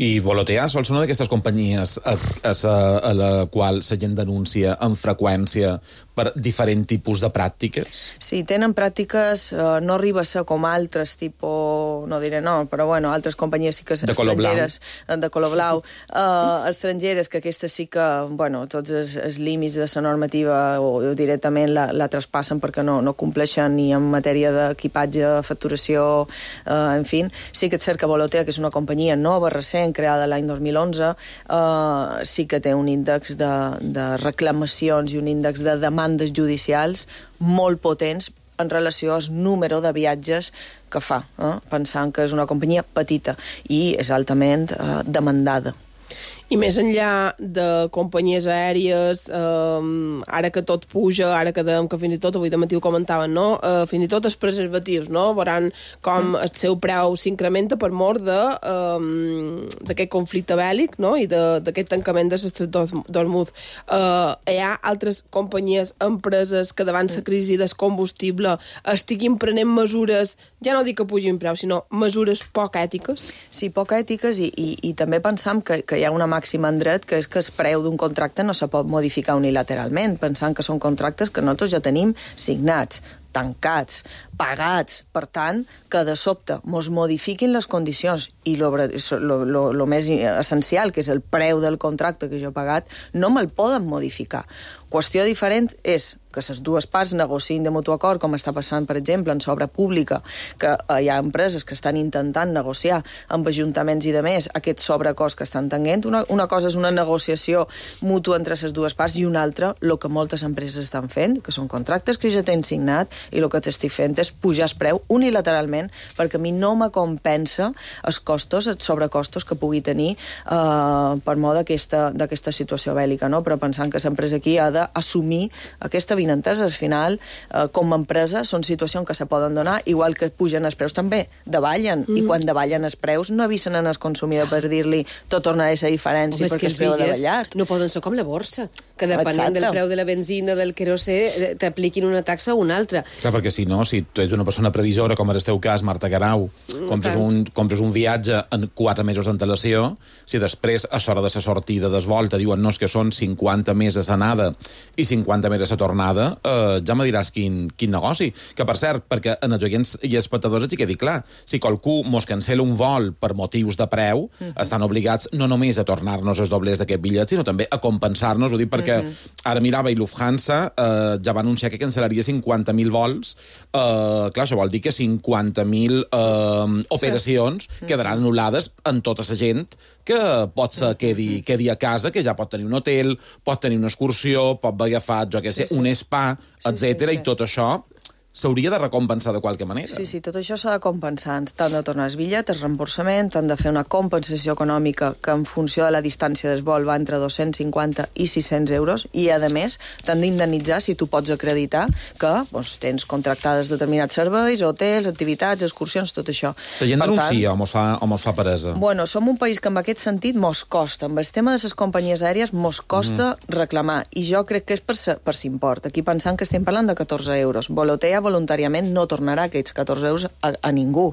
I Volotea sol ser una d'aquestes companyies a la qual la gent denuncia amb freqüència per diferents tipus de pràctiques? Sí, tenen pràctiques, no arriba a ser com altres, tipus, no diré no, però bueno, altres companyies sí que estrangeres, de color blau, estrangeres, que aquestes sí que, bueno, tots els límits de la normativa o directament la traspassen perquè no compleixen ni en matèria d'equipatge, facturació, en fi. Sí que és cert que Volotea, que és una companyia nova, recent, creada l'any 2011, sí que té un índex de reclamacions i un índex de demandes judicials molt potents en relació al número de viatges que fa, pensant que és una companyia petita i és altament demandada. I més enllà de companyies aèries, ara que tot puja, ara que dèiem que fins i tot, avui de matí ho comentaven, no? Fins i tot els preservatius, no? Veuran com el seu preu s'incrementa per mort d'aquest conflicte bèl·lic, no? I d'aquest tancament de l'Estret d'Hormuz. Hi ha altres companyies, empreses que davant la crisi del combustible estiguin prenent mesures, ja no dic que pugin preu, sinó mesures poc ètiques? Sí, poc ètiques i també pensam que hi ha una màxima en dret, que és que el preu d'un contracte no se pot modificar unilateralment, pensant que són contractes que nosaltres ja tenim signats, tancats, pagats. Per tant, que de sobte mos modifiquin les condicions i lo més essencial, que és el preu del contracte que jo he pagat, no me'l poden modificar. Qüestió diferent és que les dues parts negociïn de mutu acord, com està passant, per exemple, en obra pública, que hi ha empreses que estan intentant negociar amb ajuntaments i de més aquest sobrecost que estan tenint. Una cosa és una negociació mútua entre les dues parts i una altra, el que moltes empreses estan fent, que són contractes que ja tenen signat, i el que t'estic fent és pujar el preu unilateralment, perquè a mi no me compensa els costos, els sobrecostos que pugui tenir per mort d'aquesta situació bèl·lica, no? Però pensant que l'empresa aquí ha d'assumir aquesta vinentesa. Al final, com a empresa, són situacions que se poden donar, igual que pugen els preus també, davallen, i quan davallen els preus no avisen al consumidor per dir-li tot tornarà a ser diferència perquè el preu ha davallat. No poden ser com la borsa, que depenent del preu de la benzina, del querosè, t'apliquin una taxa o una altra. Clar, perquè si no, si tu ets una persona previsora, com era el teu cas, Marta Garau, compres un viatge en 4 mesos d'antelació, si després, a l'hora de la sortida del vol, te diuen no, és que són 50 mesos anada i 50 mesos a tornada, ja me diràs quin negoci. Que, per cert, perquè en els oients i espectadors et quedi clar, si qualcú mos cancela un vol per motius de preu, estan obligats no només a tornar-nos els doblers d'aquest bitllet, sinó també a compensar-nos. Ho dic perquè ara mirava i Lufthansa ja va anunciar que cancel·laria 50.000 vols. Clar, això vol dir que 50.000 operacions quedaran anul·lades en tota la gent que pot ser quedi a casa, que ja pot tenir un hotel, pot tenir una excursió, pot haver agafat, jo què sé, un spa, etc. I tot això s'hauria de recompensar de qualque manera. Sí, tot això s'ha de compensar. T'han de tornar el bitllet, el reemborsament, t'han de fer una compensació econòmica que en funció de la distància del vol va entre 250 i 600 euros i, a més, t'han d'indemnitzar si tu pots acreditar que tens contractades determinats serveis, hotels, activitats, excursions, tot això. La gent denuncia o mos fa peresa? Bueno, som un país que en aquest sentit mos costa. Amb el tema de les companyies aèries mos costa reclamar i jo crec que és per s'import. Aquí pensant que estem parlant de 14 euros. Volotea voluntàriament no tornarà aquests 14 euros a ningú.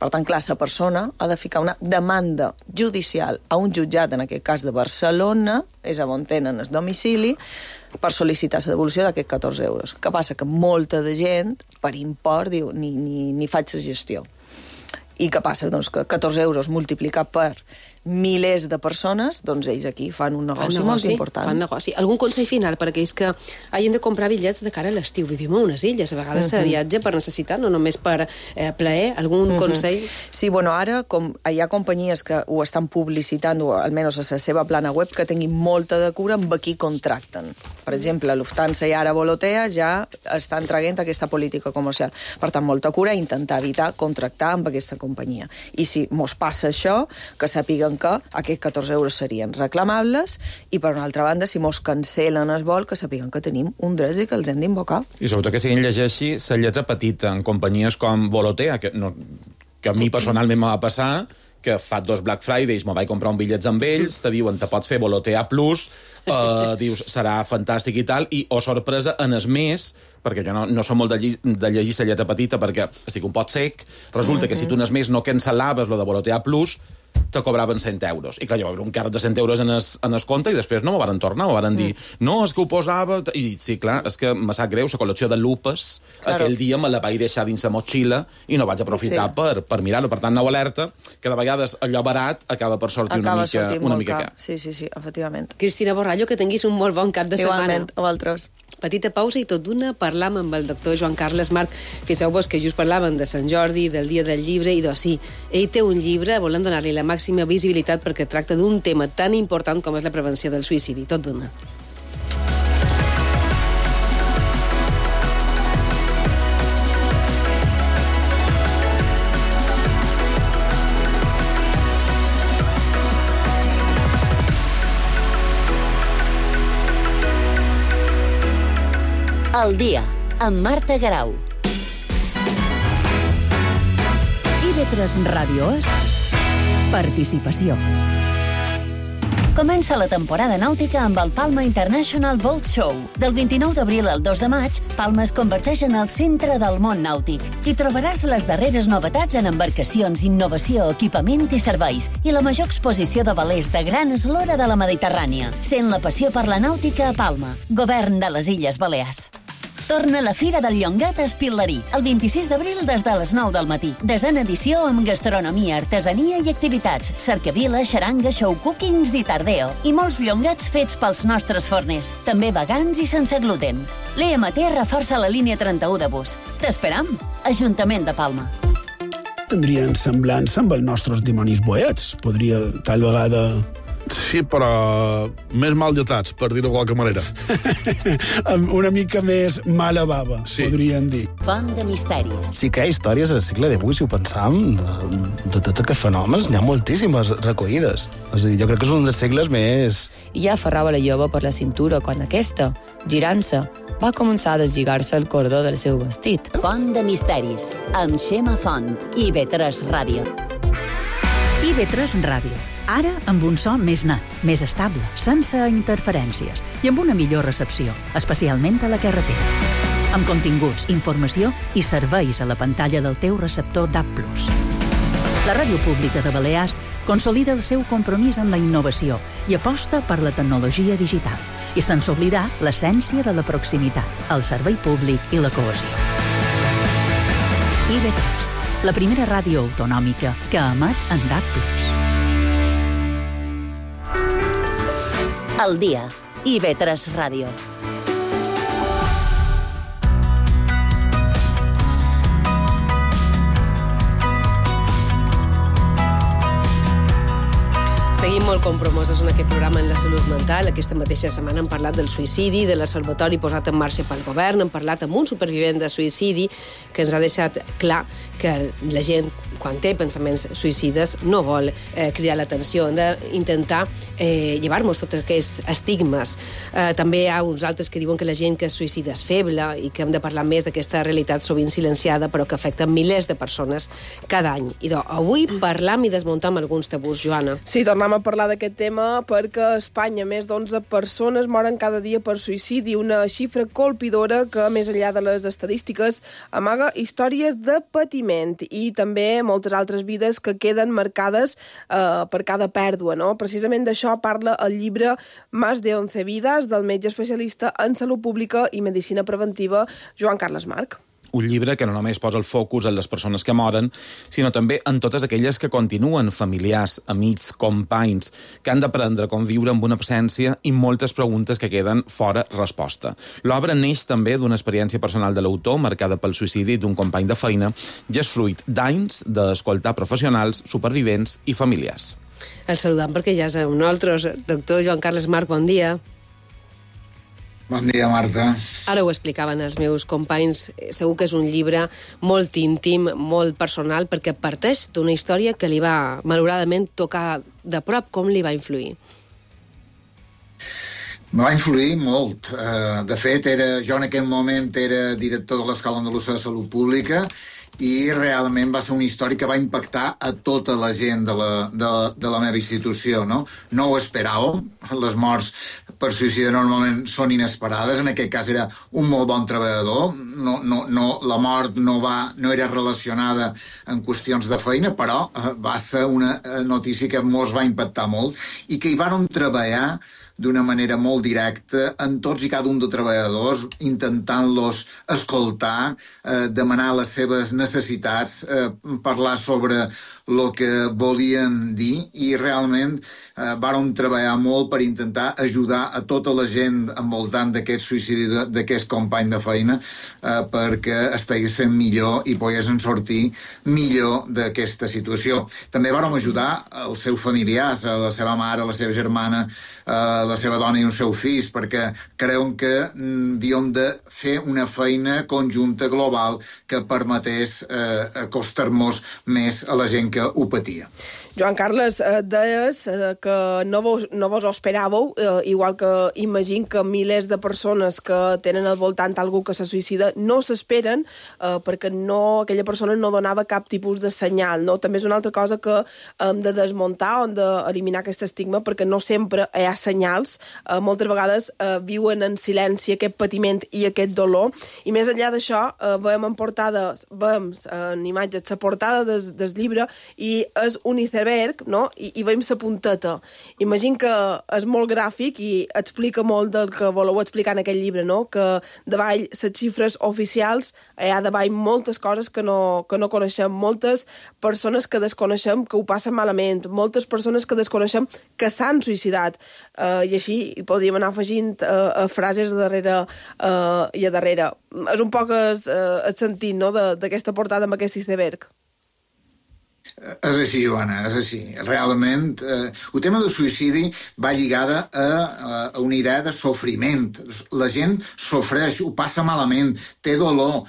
Per tant, clar, la persona ha de ficar una demanda judicial a un jutjat, en aquest cas de Barcelona, és on tenen el domicili, per sol·licitar la devolució d'aquests 14 euros. Què passa? Que molta de gent, per import, diu, ni faig la gestió. I què passa? Doncs que 14 euros multiplicat per milers de persones, doncs ells aquí fan un negoci molt important. Fan negoci. Algun consell final per aquells que hagin de comprar bitllets de cara a l'estiu? Vivim a unes illes, a vegades se viatja per necessitat, no només per plaer. Algun consell? Sí, bueno, ara hi ha companyies que ho estan publicitant, o almenys a la seva plana web, que tinguin molta de cura amb qui contracten. Per exemple, Lufthansa i ara Volotea ja estan traient aquesta política comercial. Per tant, molta cura, intentar evitar contractar amb aquesta companyia. I si mos passa això, que sàpiguen que aquests 14 euros serien reclamables i, per una altra banda, si mos cancel·len el vol, que sapiguen que tenim un dret i que els hem d'invocar. I sobretot que siguin llegeixi la lletra petita en companyies com Volotea, que a mi personalment me va passar, que fa 2 Black Fridays me vaig comprar un bitllets amb ells, te diuen, te pots fer Volotea Plus, dius, serà fantàstic i tal, i, sorpresa, en el mes, perquè jo no som molt de llegir la lletra petita perquè estic un pot sec, resulta que si tu en el mes no cancel·laves lo de Volotea Plus, te cobraven 100 euros. I clar, jo vaig veure un càrrec de 100 euros en el compte i després no m'ho van tornar, m'ho van dir, no, és que ho posava... I sí, clar, és que me sap greu, la col·lecció de lupes, aquell dia me la vaig deixar dins la motxilla i no vaig aprofitar per mirar-ho. Per tant, nova alerta, que de vegades allò barat acaba per sortir una mica car. Sí, efectivament. Cristina Borrallo, que tinguis un molt bon cap de setmana. Igualment, a vosaltres. Petita pausa i tot d'una parlam amb el doctor Joan Carles Marc. Fixeu-vos que just parlaven de Sant Jordi, del Dia del Llibre, i doncs sí, ell té un llibre, volem donar-li la màxima visibilitat perquè tracta d'un tema tan important com és la prevenció del suïcidi. Tot d'una. El dia, amb Marta Garau. IB3 Ràdio és participació. Comença la temporada nàutica amb el Palma International Boat Show. Del 29 d'abril al 2 de maig, Palma es converteix en el centre del món nàutic. Hi trobaràs les darreres novetats en embarcacions, innovació, equipament i serveis, i la major exposició de velers de gran eslora de la Mediterrània. Sent la passió per la nàutica a Palma, govern de les Illes Balears. Torna la Fira del Llongat a Espil·lerí, el 26 d'abril des de les 9 del matí. Desena edició amb gastronomia, artesania i activitats, cercavila, xaranga, show cookings i tardeo. I molts llongats fets pels nostres forners, també vegans i sense gluten. L'EMT reforça la línia 31 de bus. T'esperam, Ajuntament de Palma. Tindrien semblança amb els nostres dimonis boets. Podria, tal vegada... Sí, però més mal lletats, per dir-ho de qualque manera. Una mica més mala bava, sí. Podríem dir. Font de misteris. Sí que hi ha històries al segle XVIII, si ho pensam, de tots aquests fenòmens, n'hi ha moltíssimes recollides. És a dir, jo crec que és un dels segles més... I ja aferrava la jove per la cintura quan aquesta, girant-se, va començar a deslligar-se el cordó del seu vestit. Font de misteris, amb Xema Font, IB3 Ràdio. IB3 Ràdio. Ara amb un so més net, més estable, sense interferències i amb una millor recepció, especialment a la carretera. Amb continguts, informació i serveis a la pantalla del teu receptor DAB+. La Ràdio Pública de Balears consolida el seu compromís en la innovació i aposta per la tecnologia digital, i sense oblidar l'essència de la proximitat, el servei públic i la cohesió. IB3, la primera ràdio autonòmica que emet en DAB+. El dia, IB3 Ràdio. Seguim molt compromesos en aquest programa en la salut mental. Aquesta mateixa setmana hem parlat del suïcidi, de l'observatori posat en marxa pel govern, hem parlat amb un supervivent de suïcidi que ens ha deixat clar que la gent, quan té pensaments suïcides, no vol cridar l'atenció. Hem d'intentar llevar-nos tots aquests estigmes. També hi ha uns altres que diuen que la gent que es suïcida és feble i que hem de parlar més d'aquesta realitat sovint silenciada, però que afecta milers de persones cada any. I avui parlam i desmuntam alguns tabús, Joana. Sí, tornem a parlar d'aquest tema perquè a Espanya més d'11 persones moren cada dia per suïcidi, una xifra colpidora que, més enllà de les estadístiques, amaga històries de patiment i també moltes altres vides que queden marcades per cada pèrdua, no? Precisament d'això parla el llibre Más de 11 vidas, del metge especialista en salut pública i medicina preventiva, Joan Carles Marc. Un llibre que no només posa el focus en les persones que moren, sinó també en totes aquelles que continuen, familiars, amics, companys, que han d'aprendre a conviure amb una absència i moltes preguntes que queden fora resposta. L'obra neix també d'una experiència personal de l'autor, marcada pel suïcidi d'un company de feina, i és fruit d'anys d'escoltar professionals, supervivents i familiars. El saludam perquè ja és amb nosaltres. Doctor Joan Carles Marc, bon dia. Bon dia, Marta. Ara ho explicaven els meus companys. Segur que és un llibre molt íntim, molt personal, perquè parteix d'una història que li va, malauradament, tocar de prop. Com li va influir? Me va influir molt. De fet, jo en aquell moment era director de l'Escola Andalusa de Salut Pública i realment va ser una història que va impactar a tota la gent de la meva institució, no? No ho esperàvem. Les morts per suïcidi normalment són inesperades. En aquest cas era un molt bon treballador. La mort no era relacionada en qüestions de feina, però va ser una notícia que molts va impactar molt i que hi vàrem treballar d'una manera molt directa en tots i cada un de treballadors, intentant-los escoltar, demanar les seves necessitats, parlar sobre el que volien dir i realment vàrem treballar molt per intentar ajudar a tota la gent envoltant d'aquest suïcidi d'aquest company de feina perquè estiguessin millor i poguessin sortir millor d'aquesta situació. També vàrem ajudar els seus familiars, a la seva mare, a la seva germana, la seva dona i un seu fills, perquè creuen que havíem de fer una feina conjunta global que permetés acostar-nos més a la gent que ho patia. Joan Carles, deies que no vos ho esperàveu, igual que imagino que milers de persones que tenen al voltant algú que se suïcida no s'esperen, perquè aquella persona no donava cap tipus de senyal, no? També és una altra cosa que hem de desmuntar, hem d'eliminar aquest estigma, perquè no sempre hi ha senyals, moltes vegades viuen en silenci aquest patiment i aquest dolor, i més enllà d'això, veiem en imatges la portada del llibre, i és un iceberg, no? I veiem la punteta. Imagino que és molt gràfic i explica molt del que voleu explicar en aquest llibre, no? Que davall les xifres oficials hi ha davall moltes coses que no coneixem, moltes persones que desconeixem que ho passen malament, moltes persones que desconeixem que s'han suïcidat. I així podríem anar afegint frases darrere i a darrere. És un poc el sentit, no?, d'aquesta portada amb aquest iceberg. És així, Joana, és així. Realment, el tema del suïcidi va lligada a una idea de sofriment. La gent sofreix, ho passa malament, té dolor,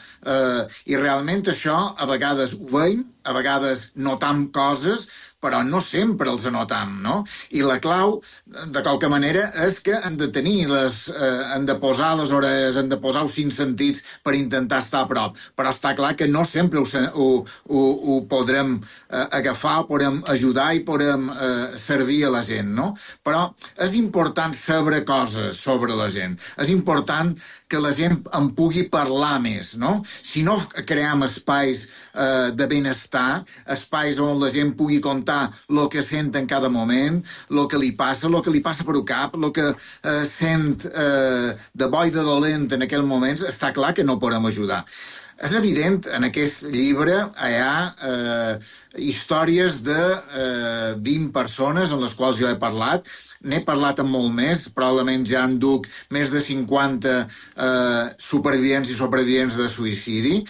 i realment això a vegades ho veiem, a vegades notam coses, però no sempre els anotam, no? I la clau, de qualque manera, és que han de posar les orelles, han de posar els 5 sentits per intentar estar a prop. Però està clar que no sempre ho podrem agafar, podrem ajudar i podrem servir a la gent, no? Però és important saber coses sobre la gent. És important que la gent en pugui parlar més, no? Si no creem espais de benestar, espais on la gent pugui contar el que sent en cada moment, el que li passa per el cap, el que sent de bo i de dolent en aquell moment, està clar que no podem ajudar. És evident, en aquest llibre hi ha històries de 20 persones en les quals jo he parlat. N'he parlat amb molt més, probablement ja en duc més de 50 supervivents i supervivents de suïcidi.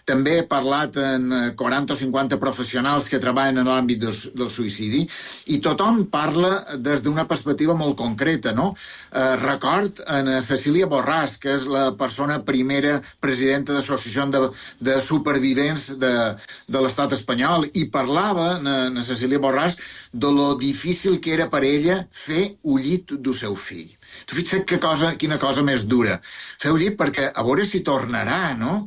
També he parlat amb 40 o 50 professionals que treballen en l'àmbit del suïcidi, i tothom parla des d'una perspectiva molt concreta, no? Record en Cecília Borràs, que és la persona primera presidenta de l'Associació de Supervivents de l'Estat espanyol, i parlava, en Cecília Borràs, de lo difícil que era per ella fer el llit del seu fill. Tu fixa't quina cosa més dura. Fer el llit perquè a veure si tornarà, no?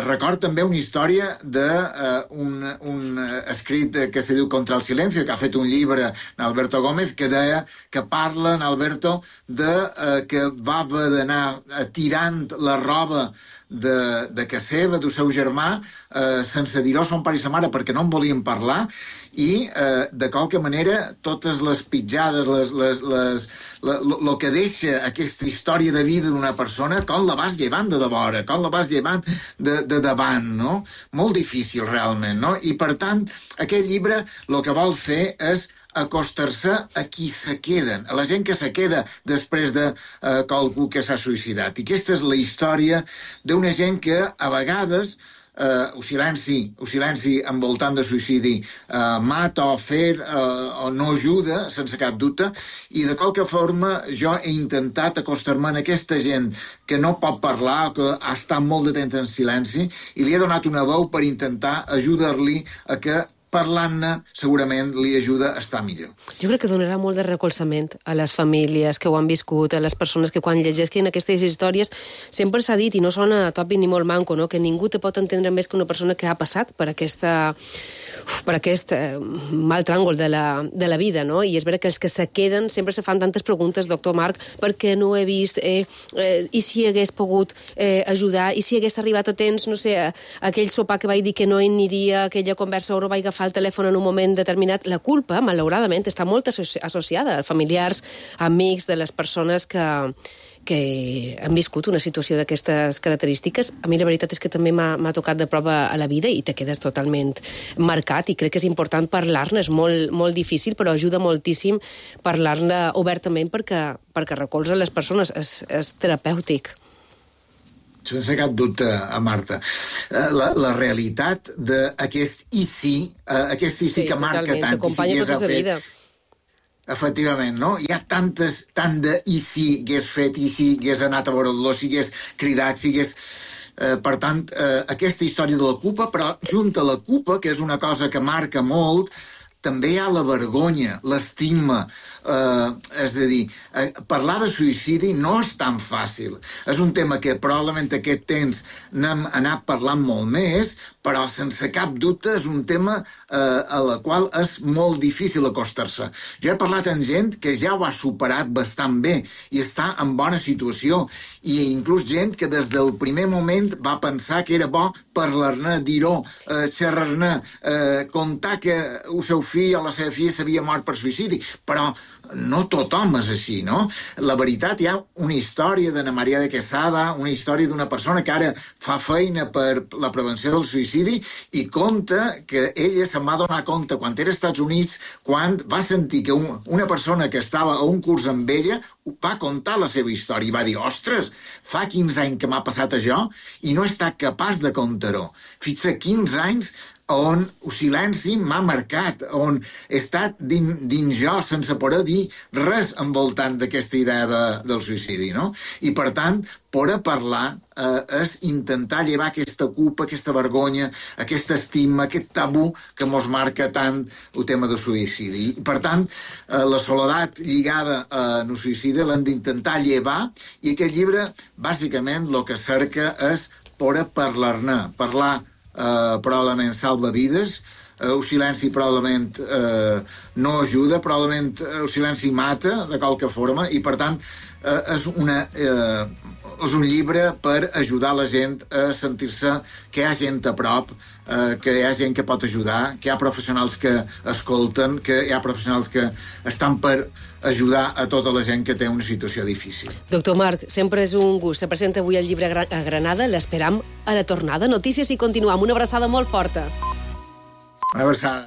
Record també una història d'un escrit que se diu Contra el silencio, que ha fet un llibre Alberto Gómez, que deia que parla en Alberto que va haver d'anar tirant la roba de casa seva, del seu germà, sense dir-ho a son pare i sa mare perquè no en volien parlar, i de qualque manera totes les pitjades, el que deixa aquesta història de vida d'una persona, com la vas llevant de vora, com la vas llevant de davant, no? Molt difícil realment, no? I per tant, aquest llibre el que vol fer és acostar-se a qui se queden, a la gent que se queda després de qualcú que s'ha suïcidat. I aquesta és la història d'una gent que a vegades el silenci envoltant de suïcidi mata o o no ajuda, sense cap dubte, i de qualque forma jo he intentat acostar-me a aquesta gent que no pot parlar, que ha estat molt de temps en silenci, i li he donat una veu per intentar ajudar-li a que parlant-ne segurament li ajuda a estar millor. Jo crec que donarà molt de recolzament a les famílies que ho han viscut, a les persones que quan llegeixen aquestes històries sempre s'ha dit, i no sona tòpic ni molt manco, no? Que ningú te pot entendre més que una persona que ha passat per aquest mal tràngol de la vida, no? I és vera que els que se queden sempre se fan tantes preguntes, doctor Marc, perquè no he vist, i si hagués pogut ajudar, i si hagués arribat a temps, no sé, aquell sopar que vaig dir que no aniria, aquella conversa o no vaig agafar el telèfon en un moment determinat. La culpa, malauradament, està molt associada a familiars, amics de les persones que han viscut una situació d'aquestes característiques. A mi la veritat és que també m'ha tocat de prova a la vida i te quedes totalment marcat, i crec que és important parlar-ne. És molt, molt difícil, però ajuda moltíssim parlar-ne obertament perquè recolza les persones. És terapèutic. Sense cap dubte, Marta. La realitat d'aquest i sí, aquest i sí que marca tant, i si hagués fet... Efectivament, no? Hi ha tant de i si hagués fet, i si hagués anat a veure el dolor, si hagués cridat, si hagués... Per tant, aquesta història de la culpa, però junt a la culpa, que és una cosa que marca molt, també hi ha la vergonya, l'estigma. És a dir, parlar de suïcidi no és tan fàcil. És un tema que probablement aquest temps n'hem anat parlant molt més, però sense cap dubte és un tema a la qual és molt difícil acostar-se. Jo he parlat amb gent que ja ho ha superat bastant bé i està en bona situació, i inclús gent que des del primer moment va pensar que era bo parlar-ne, dir-ho, xerrar-ne, contar que el seu fill o la seva filla s'havia mort per suïcidi, però no tothom és així, no? La veritat, hi ha una història d'Anna Maria de Quesada, una història d'una persona que ara fa feina per la prevenció del suïcidi i conta que ella se'n va donar compte quan era als Estats Units, quan va sentir que una persona que estava a un curs amb ella va contar la seva història i va dir, ostres, fa 15 anys que m'ha passat això i no he estat capaç de contar-ho. Fixa, 15 anys on el silenci m'ha marcat, on he estat dins jo sense poder dir res envoltant d'aquesta idea del suïcidi, no? I, per tant, poder parlar és intentar llevar aquesta culpa, aquesta vergonya, aquest estigma, aquest tabú que mos marca tant el tema del suïcidi. I, per tant, la soledat lligada al suïcidi l'hem d'intentar llevar, i aquest llibre, bàsicament, el que cerca és poder parlar-ne, parlar probablement salva vides, el silenci probablement no ajuda, probablement el silenci mata de qualque forma, i per tant és un llibre per ajudar la gent a sentir-se que hi ha gent a prop, que hi ha gent que pot ajudar, que hi ha professionals que escolten, que hi ha professionals que estan per ajudar a tota la gent que té una situació difícil. Doctor Marc, sempre és un gust. Se presenta avui el llibre a Granada, l'esperam a la tornada. Notícies i continuam. Una abraçada molt forta. Una abraçada.